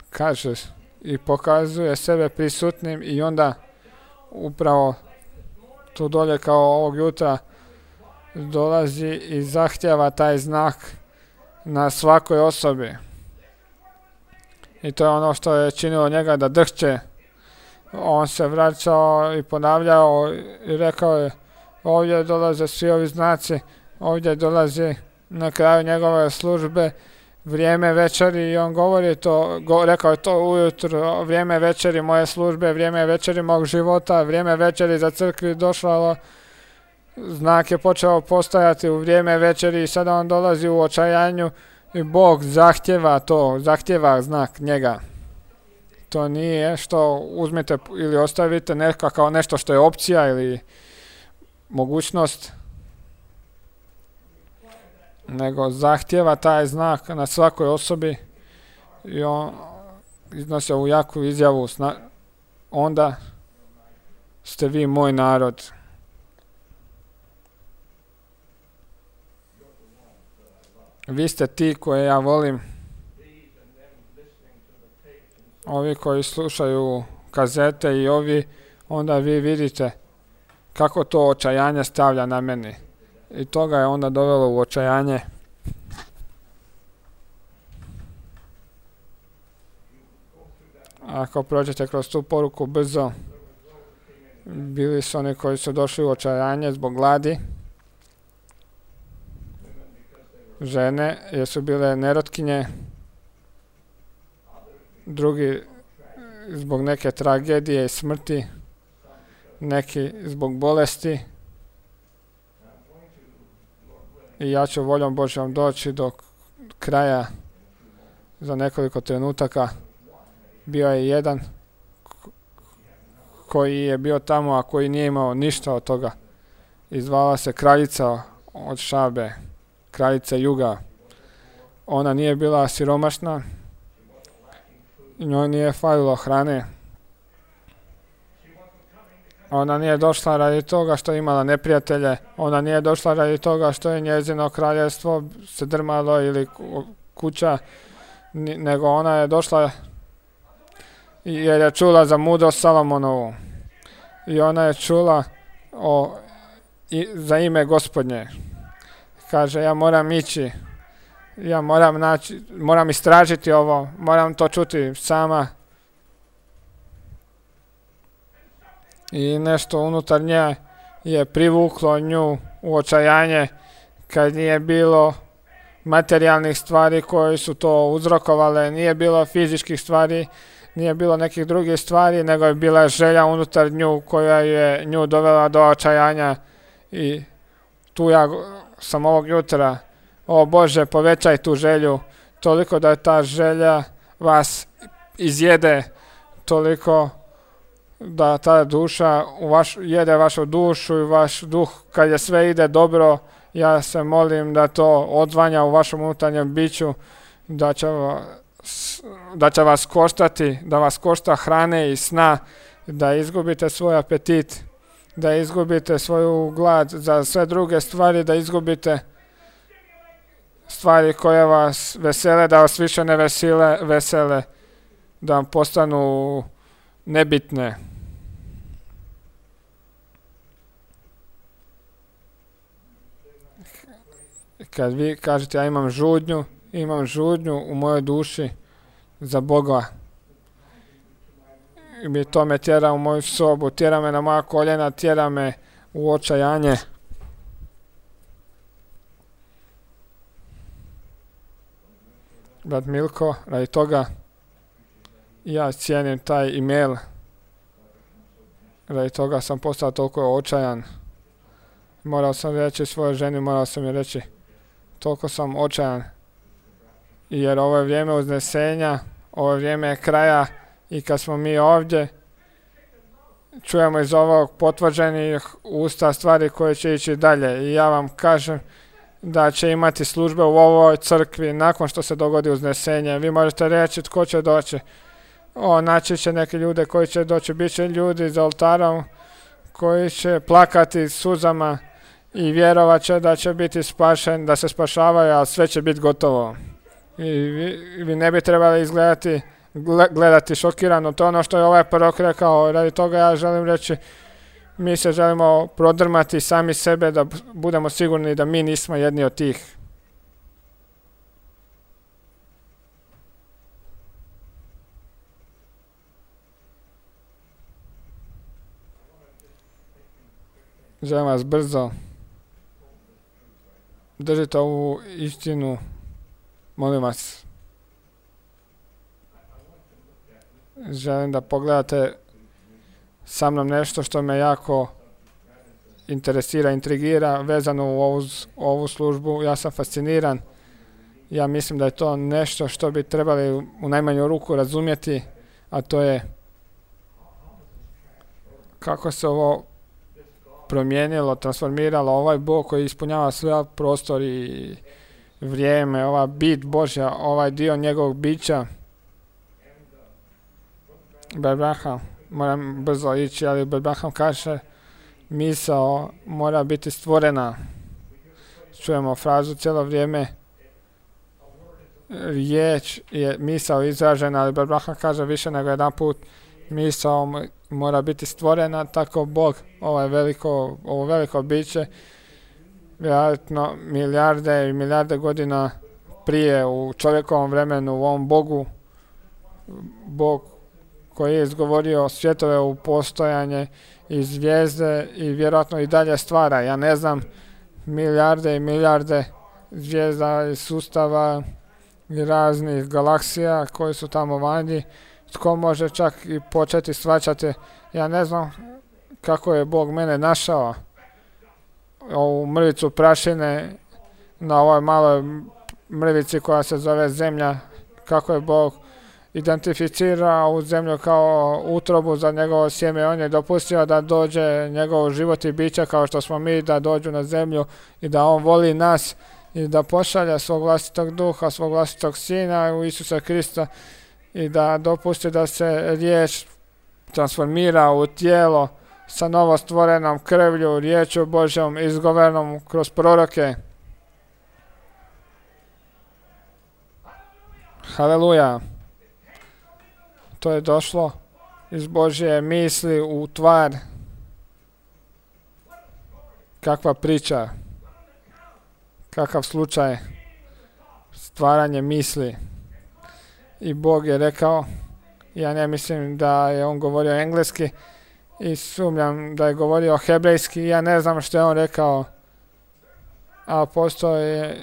Kaže i pokazuje sebe prisutnim i onda upravo tu dolje kao ovog jutra dolazi i zahtjeva taj znak na svakoj osobi. I to je ono što je činilo njega da drhće. On se vraćao i ponavljao i rekao je ovdje dolaze svi ovi znaci, ovdje dolazi na kraju njegove službe vrijeme večeri i on govori to, rekao je to ujutro, vrijeme večeri moje službe, vrijeme večeri mog života, vrijeme večeri za crkvi došlo, znak je počeo postojati u vrijeme večeri i sada on dolazi u očajanju i Bog zahtjeva to, zahtjeva znak njega. To nije što uzmete ili ostavite neka kao nešto što je opcija ili mogućnost, nego zahtjeva taj znak na svakoj osobi i on iznosi ovu jaku izjavu, onda ste vi moj narod. Vi ste ti koje ja volim. Ovi koji slušaju kazete i ovi, onda vi vidite kako to očajanje stavlja na meni. I to ga je onda dovelo u očajanje. Ako prođete kroz tu poruku brzo, bili su oni koji su došli u očajanje zbog gladi. Žene, jer su bile nerotkinje. Drugi zbog neke tragedije i smrti. neki zbog bolesti. I ja ću voljom Božjom doći do kraja za nekoliko trenutaka. Bio je jedan koji je bio tamo, a koji nije imao ništa od toga. I zvala se kraljica od Šabe, kraljica juga. Ona nije bila siromašna, njoj nije falilo hrane. Ona nije došla radi toga što je imala neprijatelje, ona nije došla radi toga što je njezino kraljevstvo se drmalo ili kuća, nego ona je došla jer je čula za mudrost Salomonovu. I ona je čula za ime Gospodnje. Kaže, ja moram ići, ja moram istražiti ovo, moram to čuti sama. I nešto unutar nje je privuklo nju u očajanje kad nije bilo materijalnih stvari koje su to uzrokovale, nije bilo fizičkih stvari, nije bilo nekih drugih stvari, nego je bila želja unutar nju koja je nju dovela do očajanja. I tu ja sam ovog jutra, o Bože, povećaj tu želju, toliko da ta želja vas izjede, toliko da ta duša jede vašu dušu i vaš duh, kad je sve ide dobro, ja se molim da to odzvanja u vašem unutarnjem biću, da će vas koštati, da vas košta hrane i sna, da izgubite svoj apetit, da izgubite svoju glad za sve druge stvari, da izgubite stvari koje vas vesele, da vas više ne vesele, da vam postanu nebitne. Kad vi kažete ja imam žudnju u mojoj duši za Boga, i to me tjera u moju sobu, tjera me na moja koljena, tjera me u očajanje. Brat Milko, radi toga ja cijenim taj email, radi toga sam postao toliko očajan. Morao sam reći svojoj ženi, morao sam joj reći, toliko sam očajan, jer ovo je vrijeme uznesenja, ovo je vrijeme kraja, i kad smo mi ovdje, čujemo iz ovog potvrđenih usta stvari koje će ići dalje. I ja vam kažem da će imati službe u ovoj crkvi nakon što se dogodi uznesenje. Vi možete reći tko će doći. Naći će neki ljude koji će doći. Biće ljudi za oltarom koji će plakati suzama i vjerovat će da će biti spašen, da se spašavaju, ali sve će biti gotovo. I vi ne bi trebali gledati šokirano. To je ono što je ovaj prorok rekao. Radi toga ja želim reći, mi se želimo prodrmati sami sebe da budemo sigurni da mi nismo jedni od tih. Želim vas brzo. Držite ovu istinu. Molim vas. Želim da pogledate sa mnom nešto što me jako interesira, intrigira, vezano u ovu službu. Ja sam fasciniran. Ja mislim da je to nešto što bi trebali u najmanju ruku razumjeti, a to je kako se ovo promijenilo, transformiralo, ovaj Bog koji ispunjava sve prostor i vrijeme, ova bit Božja, ovaj dio njegovog bića. Bebraham, moram brzo ići, ali Bebraham kaže, misao mora biti stvorena. Čujemo frazu cijelo vrijeme, riječ je misao izražena, ali Bebraham kaže više nego jedan put, misao mora biti stvorena, tako Bog, ovo veliko biće, vjerojatno milijarde i milijarde godina prije u čovjekovom vremenu, u ovom Bog koji je izgovorio svjetove u postojanje i zvijezde i vjerojatno i dalje stvara. Ja ne znam, milijarde i milijarde zvijezda i sustava i raznih galaksija koji su tamo vanji. Tko može čak i početi shvaćati, ja ne znam kako je Bog mene našao, ovu mrvicu prašine na ovoj maloj mrvici koja se zove zemlja, kako je Bog identificirao ovu zemlju kao utrobu za njegovo sjeme. On je dopustio da dođe njegov život i biće kao što smo mi, da dođu na zemlju i da on voli nas i da pošalja svog vlastitog duha, svog vlastitog sina u Isusa Krista i da dopusti da se riječ transformira u tijelo sa novostvorenom krvlju, riječu Božjom izgovorenom kroz proroke. Haleluja! To je došlo iz Božje misli u tvar. Kakva priča, kakav slučaj, stvaranje misli. I Bog je rekao, ja ne mislim da je on govorio engleski i sumnjam da je govorio hebrejski, ja ne znam što je on rekao, a postoji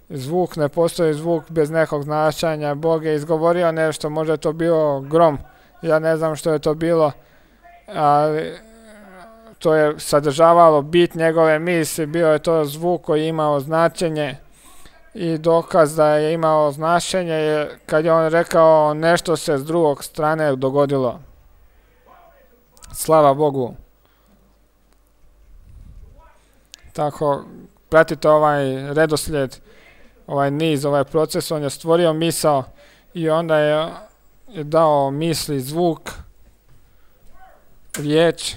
zvuk, ne postoji zvuk bez nekog značenja. Bog je izgovorio nešto, možda je to bio grom, ja ne znam što je to bilo, ali to je sadržavalo bit njegove misli, bio je to zvuk koji je imao značenje i dokaz da je imao značenje je kad je on rekao nešto se s drugog strane dogodilo. Slava Bogu. Tako, pratite ovaj redoslijed, ovaj niz, ovaj proces, on je stvorio misao i onda je dao misli, zvuk, riječ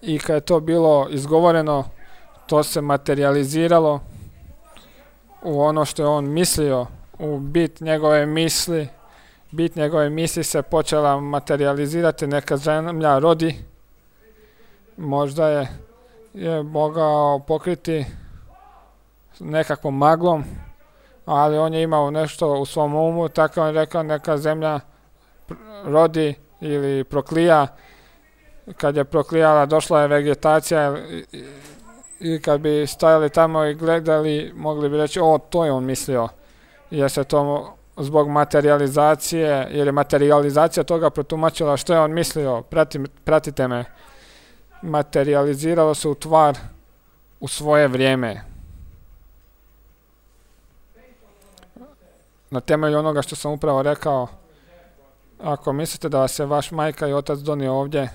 i kad je to bilo izgovoreno, to se materializiralo u ono što je on mislio, u bit njegove misli. Bit njegove misli se počela materializirati, neka zemlja rodi, možda je mogao pokriti nekakvom maglom, ali on je imao nešto u svom umu, tako on rekao neka zemlja rodi ili proklija. Kad je proklijala, došla je vegetacija i kad bi stajali tamo i gledali, mogli bi reći, o, to je on mislio, jer se to zbog materializacije, jer je materializacija toga protumačila što je on mislio. Pratite me. Materializiralo se u tvar u svoje vrijeme. Na temelju onoga što sam upravo rekao, ako mislite da vas je vaš majka i otac donio ovdje,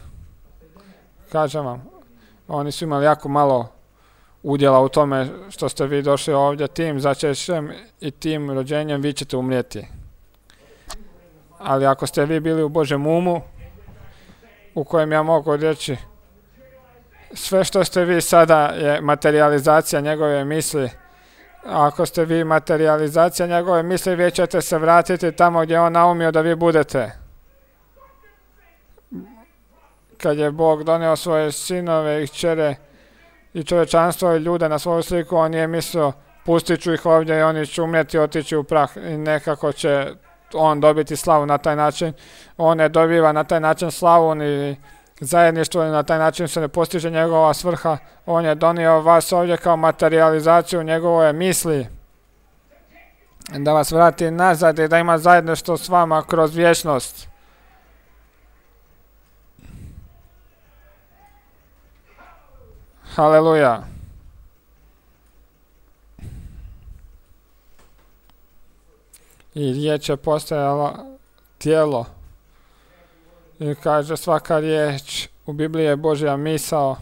kažem vam, oni su imali jako malo udjela u tome što ste vi došli ovdje, tim začećem i tim rođenjem vi ćete umrijeti. Ali ako ste vi bili u Božjem umu, u kojem ja mogu reći, sve što ste vi sada je materializacija njegove misli. A ako ste vi materializacija njegove misli, vi ćete se vratiti tamo gdje on naumio da vi budete. Kad je Bog donio svoje sinove i kćere i čovječanstvo i ljude na svoju sliku, on je mislio, pustit ću ih ovdje i oni će umjeti, otići u prah i nekako će on dobiti slavu na taj način. On ne dobiva na taj način slavu ni zajedništvo i na taj način se ne postiže njegova svrha. On je donio vas ovdje kao materializaciju njegove misli, da vas vrati nazad i da ima zajedništvo s vama kroz vječnost. Haleluja. I riječ je postajala tijelo. I kaže, svaka riječ u Bibliji je Božja misao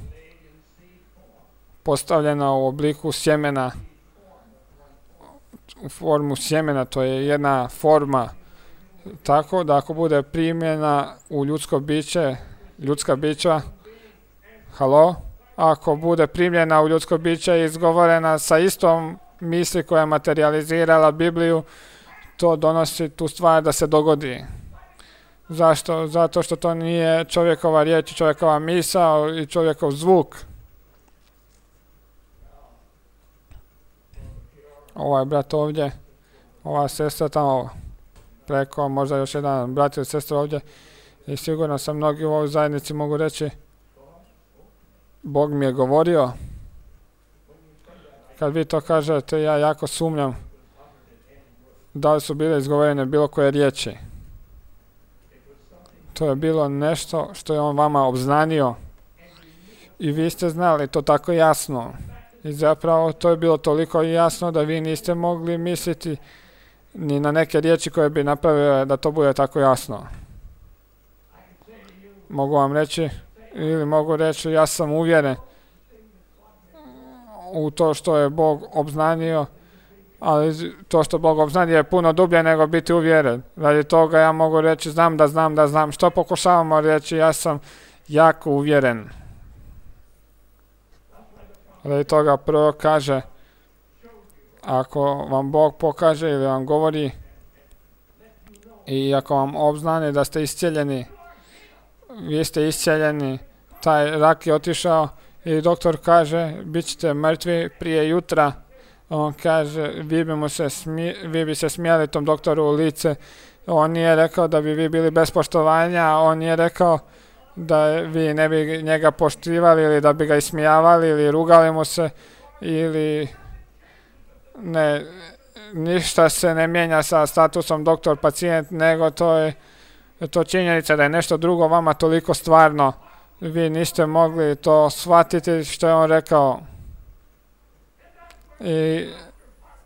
postavljena u obliku sjemena, u formu sjemena, to je jedna forma, tako da ako bude primljena u ljudsko biće, ljudska bića, ako bude primljena u ljudsko biće i izgovorena sa istom misli koja je materializirala Bibliju, to donosi tu stvar da se dogodi. Zašto? Zato što to nije čovjekova riječ, čovjekova misao i čovjekov zvuk. Ovaj brat ovdje, ova sestra tamo preko, možda još jedan brat ili sestra ovdje, i sigurno sam mnogi u ovoj zajednici mogu reći, Bog mi je govorio. Kad vi to kažete, ja jako sumnjam da li su bile izgovorene bilo koje riječi. To je bilo nešto što je on vama obznanio. I vi ste znali to tako jasno. I zapravo to je bilo toliko jasno da vi niste mogli misliti ni na neke riječi koje bi napravile da to bude tako jasno. Mogu vam reći, ili mogu reći, ja sam uvjeren u to što je Bog obznanio, ali to što Bog obznanio je puno dublje nego biti uvjeren. Radi toga ja mogu reći, znam da znam. Što pokušavamo reći, ja sam jako uvjeren. Radi toga prvo kaže, ako vam Bog pokaže ili vam govori i ako vam obznani da ste iscijeljeni, vi ste iscijeljeni, taj rak je otišao i doktor kaže, bit ćete mrtvi prije jutra. On kaže, vi bi se smijali tom doktoru u lice. On nije rekao da bi vi bili bez poštovanja, on nije rekao da vi ne bi njega poštivali ili da bi ga ismijavali ili rugali mu se ili ne, ništa se ne mijenja sa statusom doktor-pacijent, nego to je činjenica da je nešto drugo vama toliko stvarno. Vi niste mogli to shvatiti što je on rekao.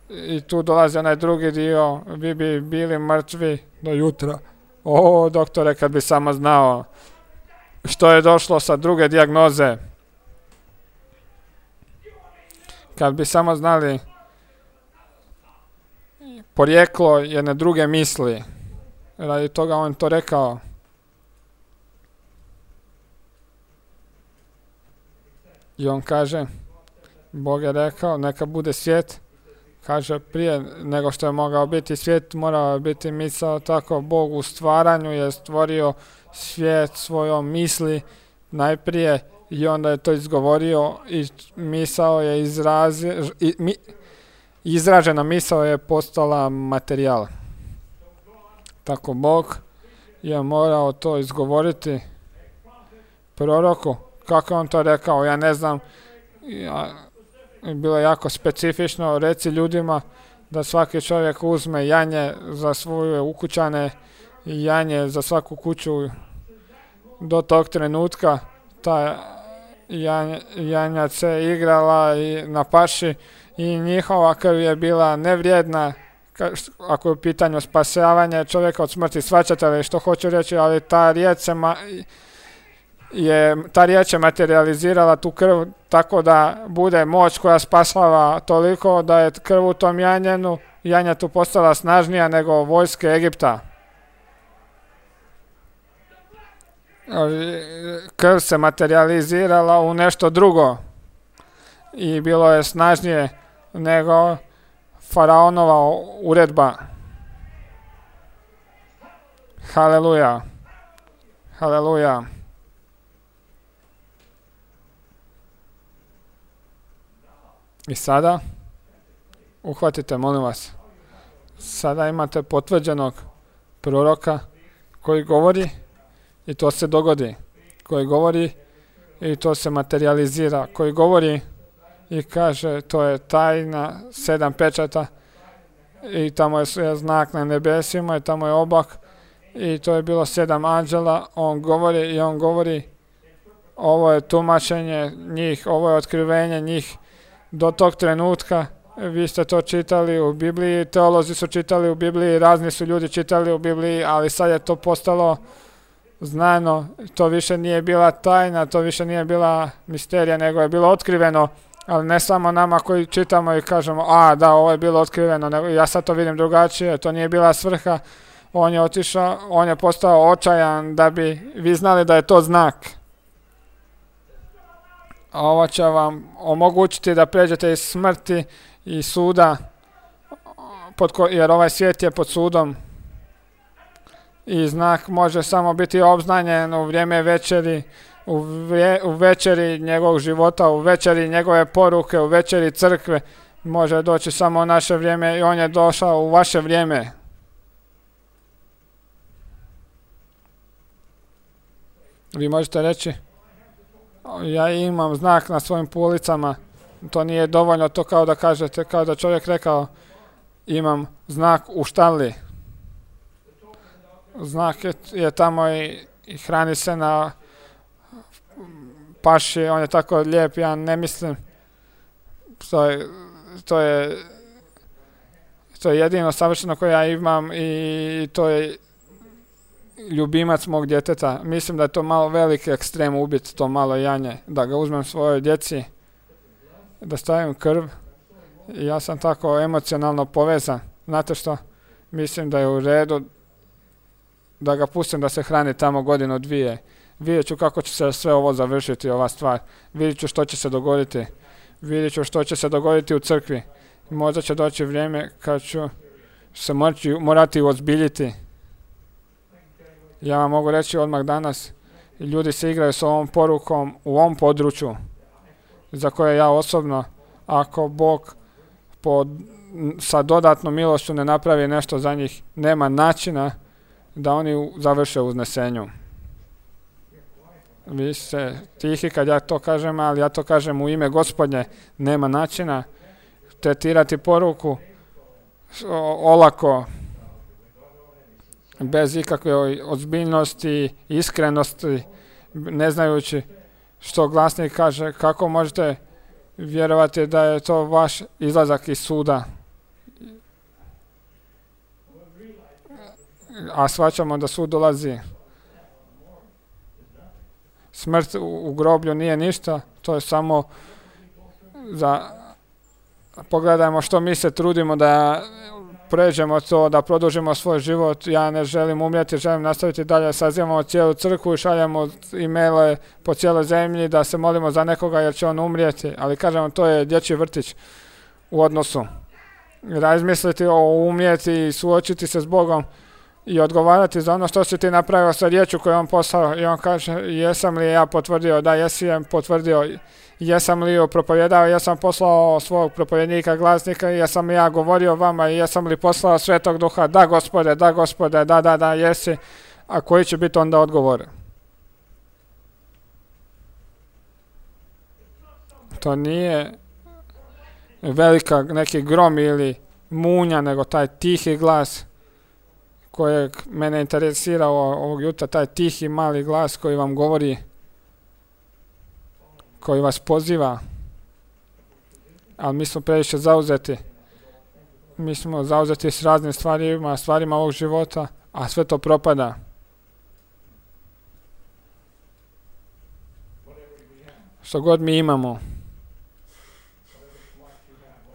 I tu dolazi onaj drugi dio, vi bi bili mrtvi do jutra. O, doktore, kad bi samo znao što je došlo sa druge dijagnoze. Kad bi samo znali porijeklo jedne druge misli. Radi toga on to rekao. I on kaže, Bog je rekao, neka bude svijet. Kaže, prije nego što je mogao biti svijet, morao biti misao. Tako Bog u stvaranju je stvorio svijet svojom misli najprije i onda je to izgovorio i misao je izražena misao je postala materijal. Tako Bog je morao to izgovoriti proroku. Kako on to rekao, ja ne znam. Bilo je jako specifično, reci ljudima da svaki čovjek uzme janje za svoje ukućane i janje za svaku kuću. Do tog trenutka ta janja se igrala i na paši i njihova krv je bila nevrijedna ako je u pitanju spasavanje čovjeka od smrti. Shvaćate li što hoću reći, ali ta riječ je materializirala tu krv tako da bude moć koja spasava toliko da je krv u tom janjetu postala snažnija nego vojske Egipta. Krv se materializirala u nešto drugo i bilo je snažnije nego faraonova uredba. Haleluja. Haleluja. I sada, uhvatite, molim vas, sada imate potvrđenog proroka koji govori i to se dogodi, koji govori i to se materializira, koji govori i kaže to je tajna 7 pečata i tamo je znak na nebesima i tamo je oblak i to je bilo 7 anđela, on govori, ovo je tumačenje njih, ovo je otkrivenje njih. Do tog trenutka vi ste to čitali u Bibliji, teolozi su čitali u Bibliji, razni su ljudi čitali u Bibliji, ali sad je to postalo znano, to više nije bila tajna, to više nije bila misterija, nego je bilo otkriveno, ali ne samo nama koji čitamo i kažemo, da, ovo je bilo otkriveno, nego ja sad to vidim drugačije, to nije bila svrha, on je otišao, on je postao očajan da bi vi znali da je to znak. Ovo će vam omogućiti da pređete iz smrti i suda, jer ovaj svijet je pod sudom. I znak može samo biti obznanjen u vrijeme večeri, u večeri njegovog života, u večeri njegove poruke, u večeri crkve. Može doći samo u naše vrijeme i on je došao u vaše vrijeme. Vi možete reći, ja imam znak na svojim policama, to nije dovoljno, to kao da kažete, kao da čovjek rekao, imam znak u štali. Znak je tamo i hrani se na paši, on je tako lijep, ja ne mislim. To je jedino savršeno koje ja imam i to je ljubimac mog djeteta. Mislim da je to malo veliki ekstrem ubiti to malo janje, da ga uzmem svojoj djeci, da stavim krv. I ja sam tako emocionalno povezan. Znate što? Mislim da je u redu da ga pustim da se hrani tamo godinu, dvije. Vidjet ću kako će se sve ovo završiti, ova stvar. Vidjet ću što će se dogoditi. Vidjet ću što će se dogoditi u crkvi. Možda će doći vrijeme kad ću se morati uozbiljiti. Ja vam mogu reći odmah danas, ljudi se igraju s ovom porukom u ovom području, za koje ja osobno, ako Bog sa dodatnom milošću ne napravi nešto za njih, nema načina da oni završe u uznesenju. Vi ste tihi kad ja to kažem, ali ja to kažem u ime Gospodnje. Nema načina tretirati poruku olako, bez ikakve ozbiljnosti, iskrenosti, ne znajući što glasnik kaže. Kako možete vjerovati da je to vaš izlazak iz suda? A shvaćamo da sud dolazi. Smrt u groblju nije ništa, to je samo pogledajmo što mi se trudimo da pređemo to, da produžimo svoj život. Ja ne želim umrijeti, želim nastaviti dalje. Sazivamo cijelu crkvu i šaljemo e-maile po cijeloj zemlji da se molimo za nekoga jer će on umrijeti. Ali kažemo, to je dječji vrtić u odnosu. Razmisliti o umrijeti i suočiti se s Bogom i odgovarati za ono što si ti napravio sa riječju koju on poslao. I on kaže, jesam li ja potvrdio? Da, jesi je potvrdio. Jesam li ju propovjedao? Jesam poslao svog propovjednika, glasnika? Jesam li ja govorio vama? Jesam li poslao Svetog Duha? Da, Gospode, da, Gospode, da, jesi. A koji će biti onda odgovor? To nije velika neki grom ili munja, nego taj tihi glas kojeg mene interesira ovog jutra, taj tihi mali glas koji vam govori, koji vas poziva. Ali mi smo previše zauzeti. Mi smo zauzeti s raznim stvarima ovog života, a sve to propada. Što god mi imamo,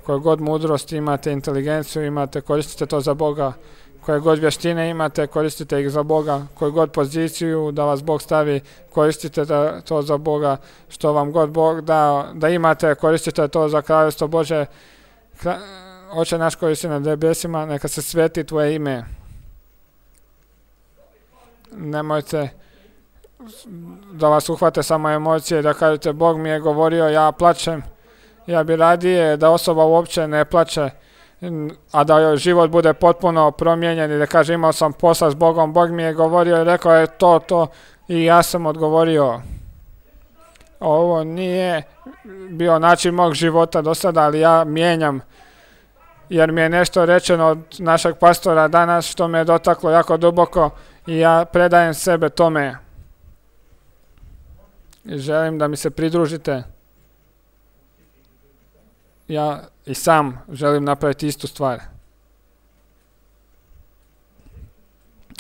koju god mudrost imate, inteligenciju imate, koristite to za Boga. Koje god vještine imate, koristite ih za Boga. Koju god poziciju da vas Bog stavi, koristite to za Boga. Što vam god Bog da imate, koristite to za kraljevstvo Bože. Oče naš koji si na nebesima, neka se sveti tvoje ime. Nemojte da vas uhvate samo emocije, da kažete Bog mi je govorio, ja plačem. Ja bi radije da osoba uopće ne plače, a da joj život bude potpuno promijenjen i da kaže imao sam posla s Bogom, Bog mi je govorio i rekao je to i ja sam odgovorio. Ovo nije bio način mog života do sada, ali ja mijenjam, jer mi je nešto rečeno od našeg pastora danas što me je dotaklo jako duboko i ja predajem sebe tome. I želim da mi se pridružite. Ja i sam želim napraviti istu stvar.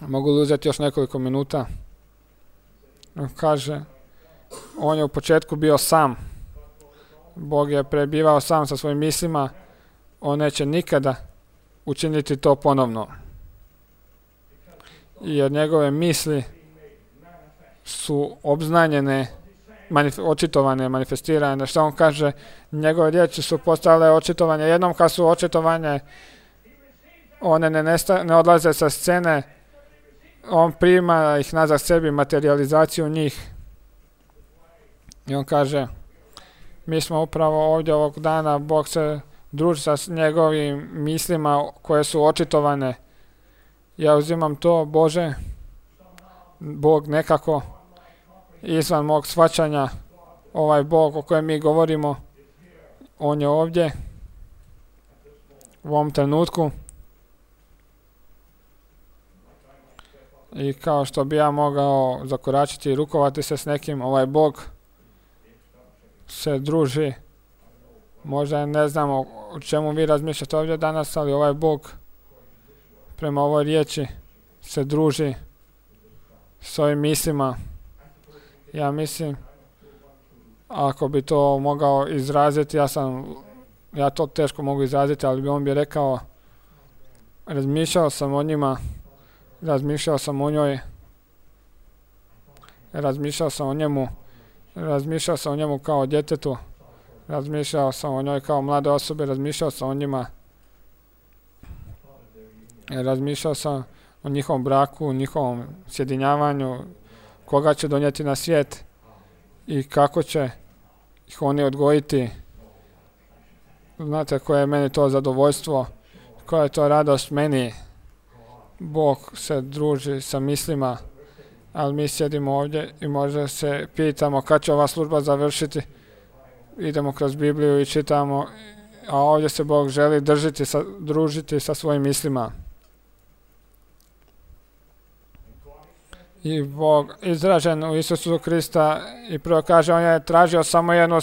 Mogu li uzeti još nekoliko minuta? On kaže, on je u početku bio sam. Bog je prebivao sam sa svojim mislima. On neće nikada učiniti to ponovno. Jer njegove misli su obznanjene, očitovane, manifestirane. Što on kaže, njegove riječi su postale očitovanje. Jednom kad su očitovanje, one ne odlaze sa scene, on prima ih nazad sebi, materializaciju njih. I on kaže, mi smo upravo ovdje ovog dana, Bog se druži sa njegovim mislima koje su očitovane. Ja uzimam to, Bože, Bog nekako izvan mog shvaćanja, ovaj Bog o kojem mi govorimo, on je ovdje u ovom trenutku. I kao što bi ja mogao zakoračiti i rukovati se s nekim, ovaj Bog se druži. Možda ne znamo o čemu vi razmišljate ovdje danas, ali ovaj Bog prema ovoj riječi se druži s ovim mislima. Ja mislim, ako bi to mogao izraziti, ja to teško mogu izraziti, ali on bi rekao, razmišljao sam o njima, razmišljao sam o njoj, razmišljao sam o njemu, razmišljao sam o njemu kao o djetetu, razmišljao sam o njoj kao mlade osobe, razmišljao sam o njima, razmišljao sam o njihovom braku, njihovom sjedinjavanju, koga će donijeti na svijet i kako će ih oni odgojiti. Znate koje je meni to zadovoljstvo, koja je to radost meni. Bog se druži sa mislima, ali mi sjedimo ovdje i možda se pitamo kad će ova služba završiti. Idemo kroz Bibliju i čitamo, a ovdje se Bog želi družiti sa svojim mislima. I Bog izražen u Isusu Krista i prvo kaže, on je tražio samo jednu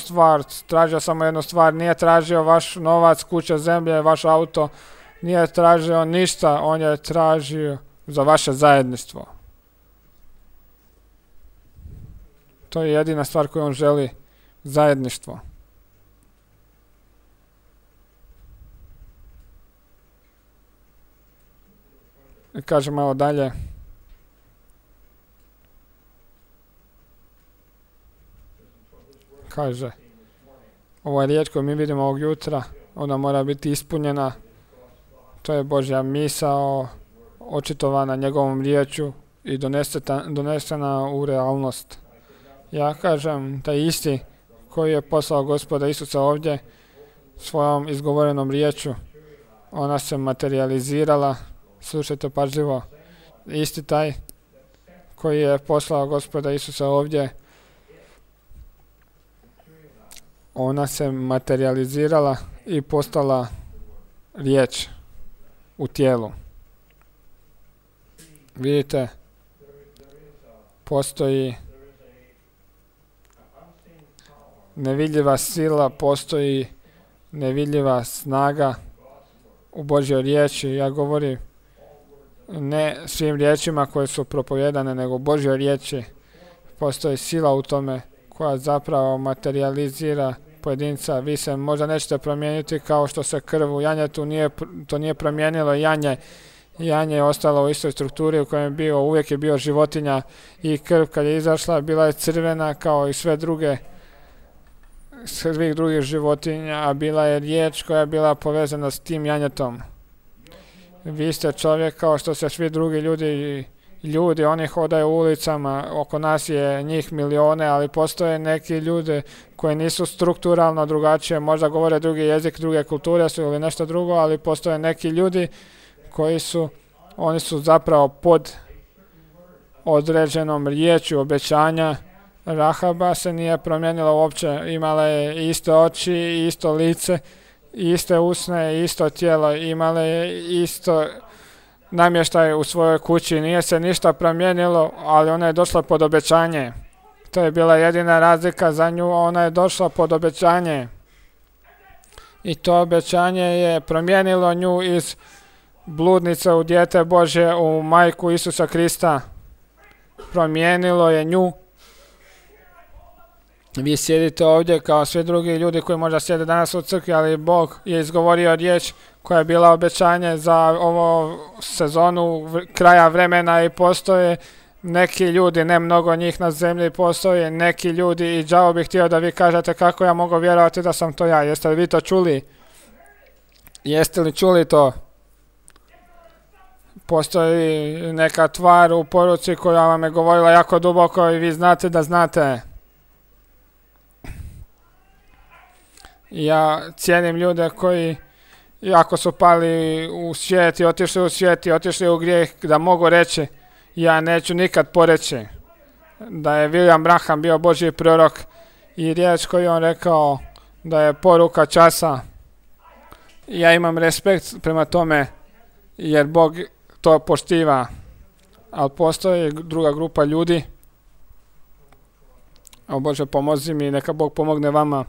stvar, nije tražio vaš novac, kuće, zemlje, vaš auto, nije tražio ništa, on je tražio za vaše zajedništvo. To je jedina stvar koju on želi, zajedništvo. I kaže malo dalje. Kaže, ovo je riječ koju mi vidimo ovog jutra, ona mora biti ispunjena. To je Božja misao, očitovana njegovom riječu i donesena u realnost. Ja kažem, taj isti koji je poslao Gospoda Isusa ovdje svojom izgovorenom riječu, ona se materializirala, slušajte pažljivo, isti taj koji je poslao Gospoda Isusa ovdje, ona se materializirala i postala riječ u tijelu. Vidite, postoji nevidljiva sila, postoji nevidljiva snaga u Božjoj riječi. Ja govorim ne svim riječima koje su propovedane, nego u Božjoj riječi. Postoji sila u tome koja zapravo materializira pojedinca. Vi se možda nećete promijeniti kao što se krv u janjetu to nije promijenilo janje. Janje je ostalo u istoj strukturi u kojoj je bio, uvijek je bio životinja i krv kad je izašla bila je crvena kao i svih drugih životinja, a bila je riječ koja je bila povezana s tim janjetom. Vi ste čovjek kao što se svi drugi ljudi, oni hodaju u ulicama, oko nas je njih milijone, ali postoje neki ljudi koji nisu strukturalno drugačije, možda govore drugi jezik, druge kulture su ili nešto drugo, ali postoje neki ljudi oni su zapravo pod određenom riječju obećanja. Rahaba se nije promijenila uopće, imala je iste oči, isto lice, iste usne, isto tijelo, imala je isto namještaj u svojoj kući, nije se ništa promijenilo, ali ona je došla pod obećanje. To je bila jedina razlika za nju, ona je došla pod obećanje. I to obećanje je promijenilo nju iz bludnice u dijete Božje, u majku Isusa Krista. Promijenilo je nju. Vi sjedite ovdje kao svi drugi ljudi koji možda sjede danas u crkvi, ali Bog je izgovorio riječ koja je bila obećanje za ovu sezonu kraja vremena i postoje neki ljudi, ne mnogo njih na zemlji, postoje neki ljudi i đavo bih htio da vi kažete kako ja mogu vjerovati da sam to ja. Jeste li vi to čuli? Jeste li čuli to? Postoji neka tvar u poruci koja vam je govorila jako duboko i vi znate da znate. Ja cijenim ljude koji jako su pali u svijet i otišli u grijeh, da mogu reći, ja neću nikad poreći da je William Branham bio Božji prorok i riječ koju on rekao da je poruka časa. Ja imam respekt prema tome jer Bog to poštiva. ali postoji druga grupa ljudi. O Bože, pomozi mi, neka Bog pomogne vama,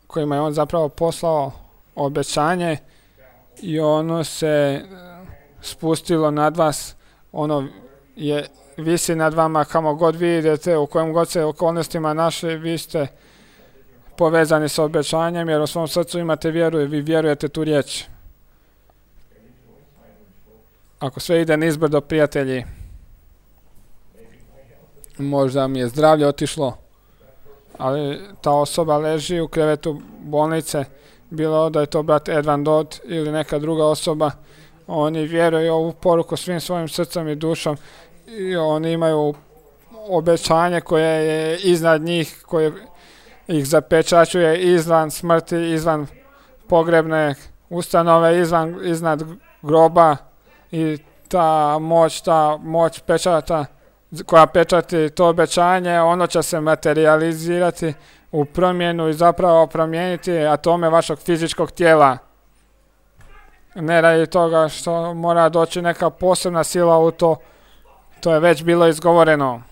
kojima je on zapravo poslao obećanje i ono se spustilo nad vas, ono je visi nad vama kamo god vi idete, u kojim god se okolnostima našli, vi ste povezani sa obećanjem jer u svom srcu imate vjeru i vi vjerujete tu riječ. Ako sve ide nizbrdo, prijatelji, možda mi je zdravlje otišlo, ali ta osoba leži u krevetu bolnice, bilo da je to brat Edvan Dodd ili neka druga osoba, oni vjeruju ovu poruku svim svojim srcem i dušom i oni imaju obećanje koje je iznad njih, koje ih zapečaćuje izvan smrti, izvan pogrebne ustanove, iznad groba i ta moć pečata koja pečati to obećanje, ono će se materializirati u promjenu i zapravo promijeniti atome vašeg fizičkog tijela. Ne radi toga što mora doći neka posebna sila u to, to je već bilo izgovoreno.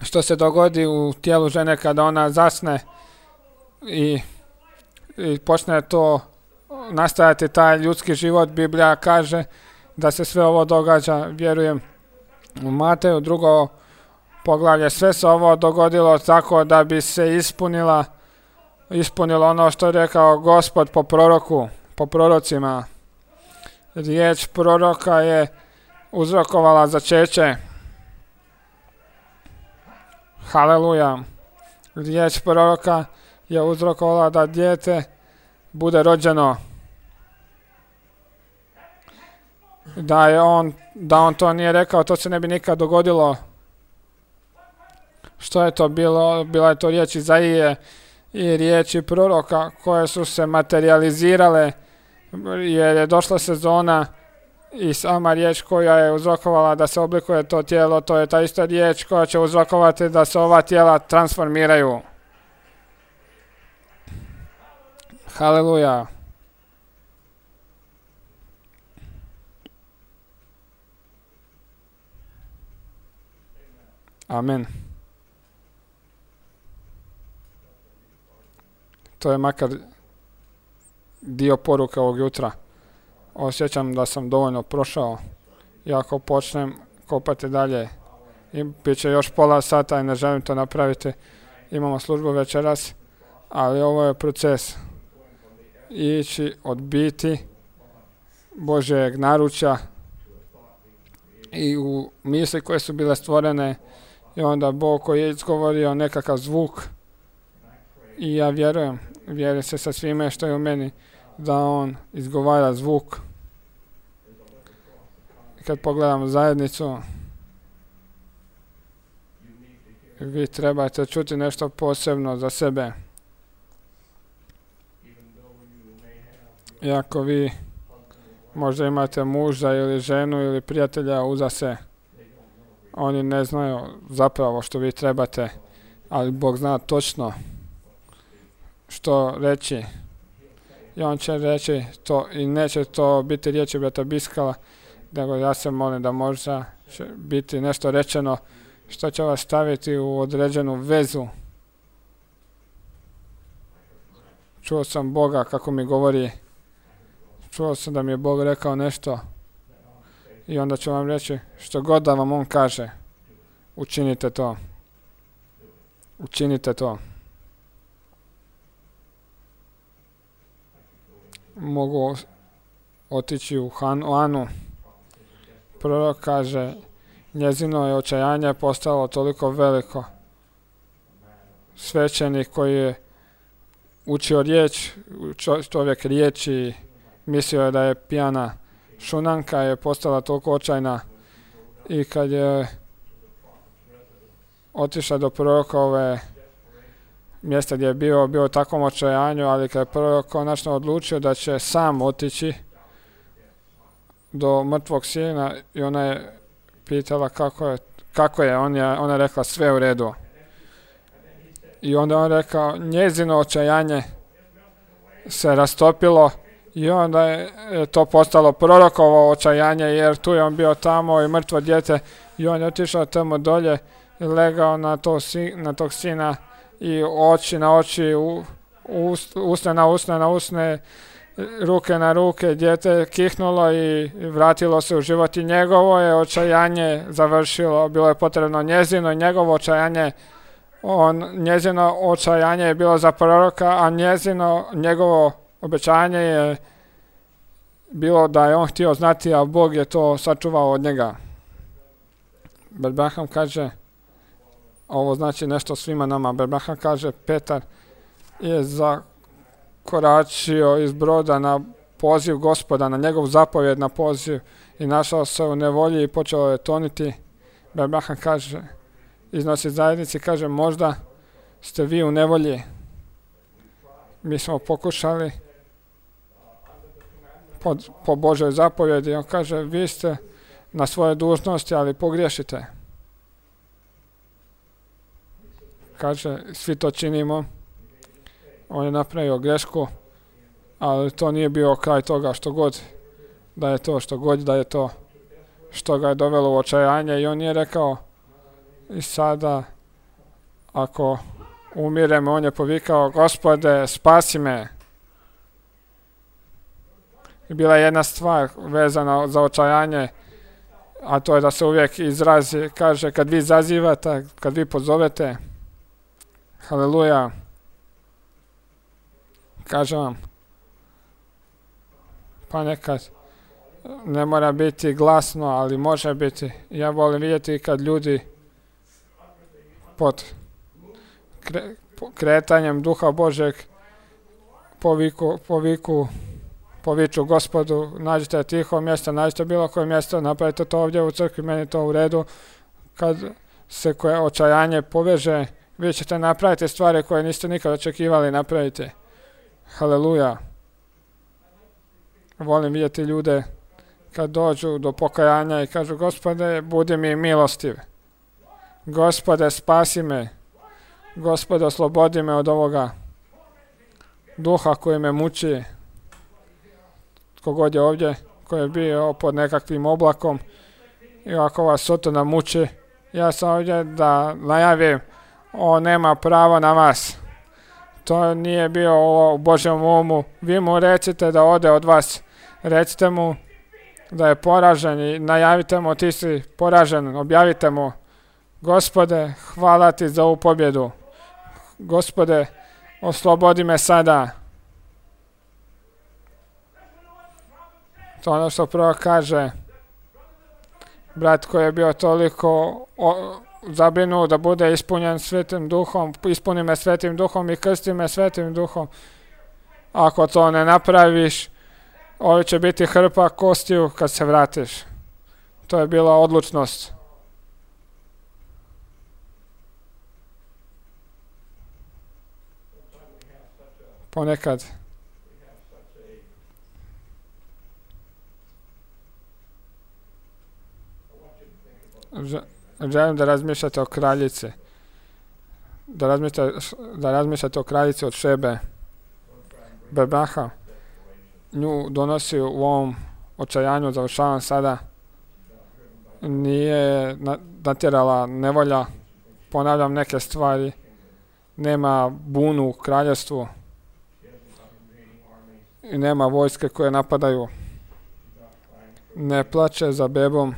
Što se dogodi u tijelu žene kada ona zasne i počne to nastajati taj ljudski život, Biblija kaže da se sve ovo događa, vjerujem u Mateju 2. poglavlje, sve se ovo dogodilo tako da bi se ispunilo ono što je rekao Gospod po prorocima. Riječ proroka je uzrokovala začeće. Haleluja. Riječ proroka je uzrokovala da dijete bude rođeno. Da on to nije rekao, to se ne bi nikad dogodilo. Što je to bilo? Bila je to riječ Izaije i riječi proroka koje su se materializirale jer je došla sezona i sama riječ koja je uzrokovala da se oblikuje to tijelo, to je ta ista riječ koja će uzrokovati da se ova tijela transformiraju. Haleluja. Amen. To je makar dio poruke ovog jutra. Osjećam da sam dovoljno prošao. I ako počnem kopati dalje, bit će još pola sata i ne želim to napraviti. Imamo službu večeras, ali ovo je proces. Ići od biti Božjeg naručja i u misli koje su bile stvorene i onda Bog koji je izgovorio nekakav zvuk i ja vjerujem se sa svime što je u meni da on izgovara zvuk. Kad pogledam zajednicu, vi trebate čuti nešto posebno za sebe. Iako vi možda imate muža ili ženu ili prijatelja uza se, oni ne znaju zapravo što vi trebate, ali Bog zna točno što reći. I on će reći to i neće to biti riječi brata Biskala, nego ja se molim da možda će biti nešto rečeno što će vas staviti u određenu vezu. Čuo sam Boga kako mi govori, čuo sam da mi je Bog rekao nešto i onda ću vam reći što god da vam on kaže, učinite to. Učinite to. Mogu otići u Anu. Prorok kaže, njezino je očajanje postalo toliko veliko. Svećenik koji je učio riječ, čovjek riječi, mislio je da je pijana. Šunanka je postala toliko očajna i kad je otišla do prorokove mjesta gdje je bio u takvom očajanju, ali kad je prorok konačno odlučio da će sam otići do mrtvog sina i ona je pitala kako je, ona je rekla sve u redu. I onda on rekao, njezino očajanje se rastopilo i onda je to postalo prorokovo očajanje, jer tu je on bio tamo i mrtvo dijete i on je otišao tamo dolje i legao na tog sina i oči na oči, usne na usne, ruke na ruke, dijete je kihnulo i vratilo se u život i njegovo je očajanje završilo. Bilo je potrebno njezino i njegovo očajanje. Njezino očajanje je bilo za proroka, a njegovo obećanje je bilo da je on htio znati, a Bog je to sačuvao od njega. Bert Branham kaže, ovo znači nešto svima nama. Bert Branham kaže, Petar je zakoračio iz broda na poziv Gospoda, na njegov zapovjed na poziv i našao se u nevolji i počeo je toniti. Bert Branham kaže, iznosi zajednici, kaže, možda ste vi u nevolji. Mi smo pokušali po Božoj zapovjedi. On kaže, vi ste na svoje dužnosti, ali pogriješite. Kaže, svi to činimo. On je napravio grešku, ali to nije bio kraj toga, što god da je to što ga je dovelo u očajanje. I on je rekao, i sada ako umirem, on je povikao, Gospode, spasi me. I bila je jedna stvar vezana za očajanje, a to je da se uvijek izrazi, kaže, kad vi zazivate, kad vi pozovete, haleluja, kažem vam, pa nekad ne mora biti glasno, ali može biti. Ja volim vidjeti kad ljudi pod kretanjem Duha Božeg poviču Gospodu, nađite tiho mjesto, nađite bilo koje mjesto, napravite to ovdje u crkvi, meni to u redu. Kad se koje očajanje poveže, vi ćete napraviti stvari koje niste nikad očekivali napraviti. Haleluja. Volim vidjeti ljude kad dođu do pokajanja i kažu, Gospode, budi mi milostiv. Gospode, spasi me. Gospode, oslobodi me od ovoga duha koji me muči. Kogod je ovdje, koji je bio pod nekakvim oblakom i ako vas Sotona muči, ja sam ovdje da najavim, on nema pravo na vas. To nije bio u Božjem umu. Vi mu recite da ode od vas. Recite mu da je poražen i najavite mu, ti si poražen, objavite mu, Gospode, hvala ti za ovu pobjedu. Gospode, oslobodi me sada. To ono što prvo kaže brat koji je bio toliko zabrinut da bude ispunjen Svetim Duhom, ispuni me Svetim Duhom i krsti me Svetim Duhom. Ako to ne napraviš, ovo će biti hrpa kostiju kad se vratiš. To je bila odlučnost. Ponekad želim da razmišljate o kraljici. Da razmišljate o kraljici od Šebe. Berbaha nju donosi u ovom očajanju, završavam sada. Nije natjerala nevolja. Ponavljam neke stvari. Nema bunu u kraljevstvu. I nema vojske koje napadaju. Ne plače za bebom.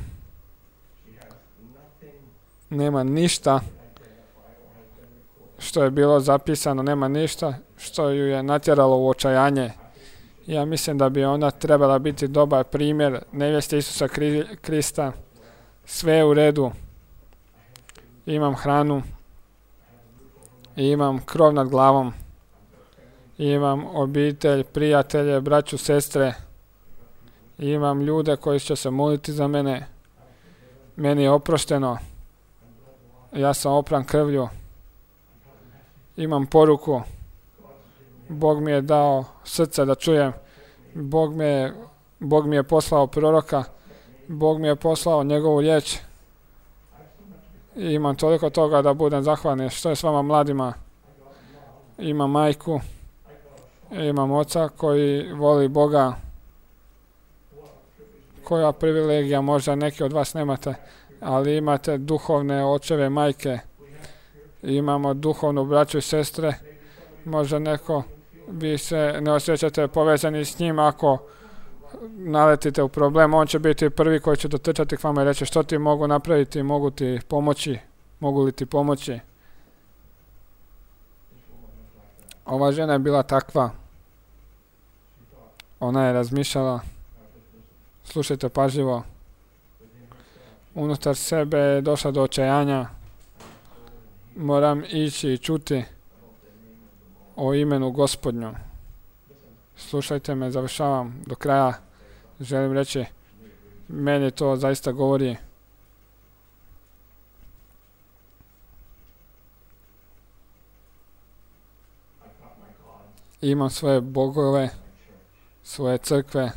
Nema ništa što je bilo zapisano, nema ništa što ju je natjeralo u očajanje. Ja mislim da bi ona trebala biti dobar primjer nevjeste Isusa Krista. Sve je u redu. Imam hranu. Imam krov nad glavom. Imam obitelj, prijatelje, braću, sestre. Imam ljude koji će se moliti za mene. Meni je oprošteno. Ja sam opran krvlju. Imam poruku. Bog mi je dao srce da čujem. Bog mi je poslao proroka. Bog mi je poslao njegovu riječ. I imam toliko toga da budem zahvalan. Što je s vama mladima? Imam majku. Imam oca koji voli Boga. Koja privilegija, možda neki od vas nemate, ali imate duhovne očeve, majke. Imamo duhovnu braću i sestre. Možda neko vi se ne osjećate povezani s njim, ako naletite u problem, on će biti prvi koji će dotrčati k vama i reći što ti mogu napraviti, mogu ti pomoći, mogu li ti pomoći. Ova žena je bila takva. Ona je razmišljala, slušajte pažljivo, unutar sebe je došla do očajanja. Moram ići i čuti o imenu Gospodnju. Slušajte me, završavam do kraja. Želim reći, meni to zaista govori. Imam svoje bogove, svoje crkve,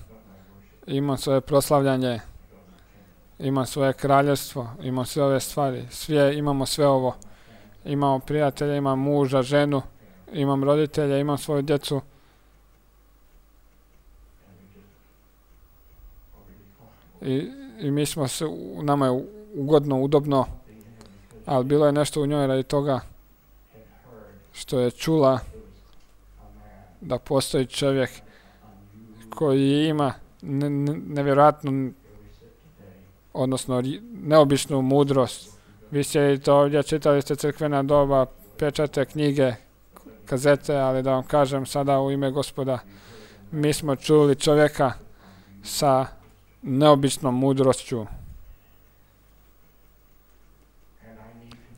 imam svoje proslavljanje, imam svoje kraljevstvo, imam sve ove stvari. Imamo sve ovo. Imamo prijatelja, imam muža, ženu, imam roditelja, imam svoju djecu. I mi smo se, nama je ugodno, udobno, ali bilo je nešto u njoj radi toga što je čula da postoji čovjek koji ima nevjerojatnu, odnosno neobičnu mudrost. Vi sjedite ovdje, čitali ste crkvena doba, pečate knjige, kazete, ali da vam kažem sada u ime Gospoda, mi smo čuli čovjeka sa neobičnom mudrošću.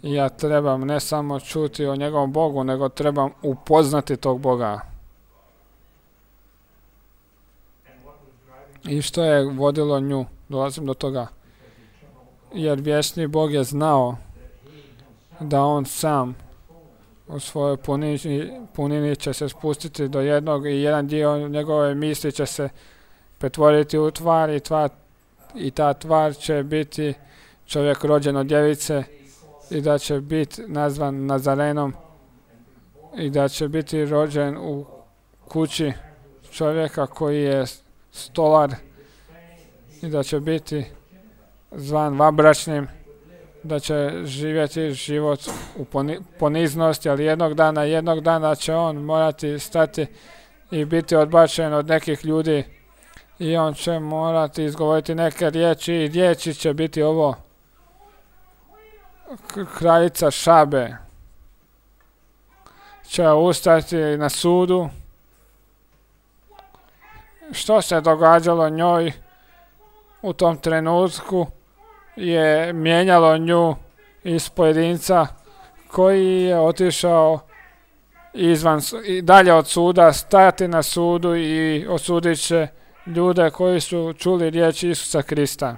I ja trebam ne samo čuti o njegovom Bogu, nego trebam upoznati tog Boga. I što je vodilo nju? Dolazim do toga. Jer vječni Bog je znao da on sam u svojoj punini će se spustiti do jednog i jedan dio njegove misli će se pretvoriti u tvar i ta tvar će biti čovjek rođen od djevice i da će biti nazvan Nazarenom i da će biti rođen u kući čovjeka koji je stolar i da će biti zvan vanbračnim, da će živjeti život u poniznosti, ali jednog dana će on morati stati i biti odbačen od nekih ljudi i on će morati izgovoriti neke riječi i riječi će biti ovo: kraljica Šabe će ustati na sudu. Što se događalo njoj u tom trenutku je mijenjalo nju iz pojedinca koji je otišao dalje od suda, stajati na sudu i osudit će ljude koji su čuli riječ Isusa Krista.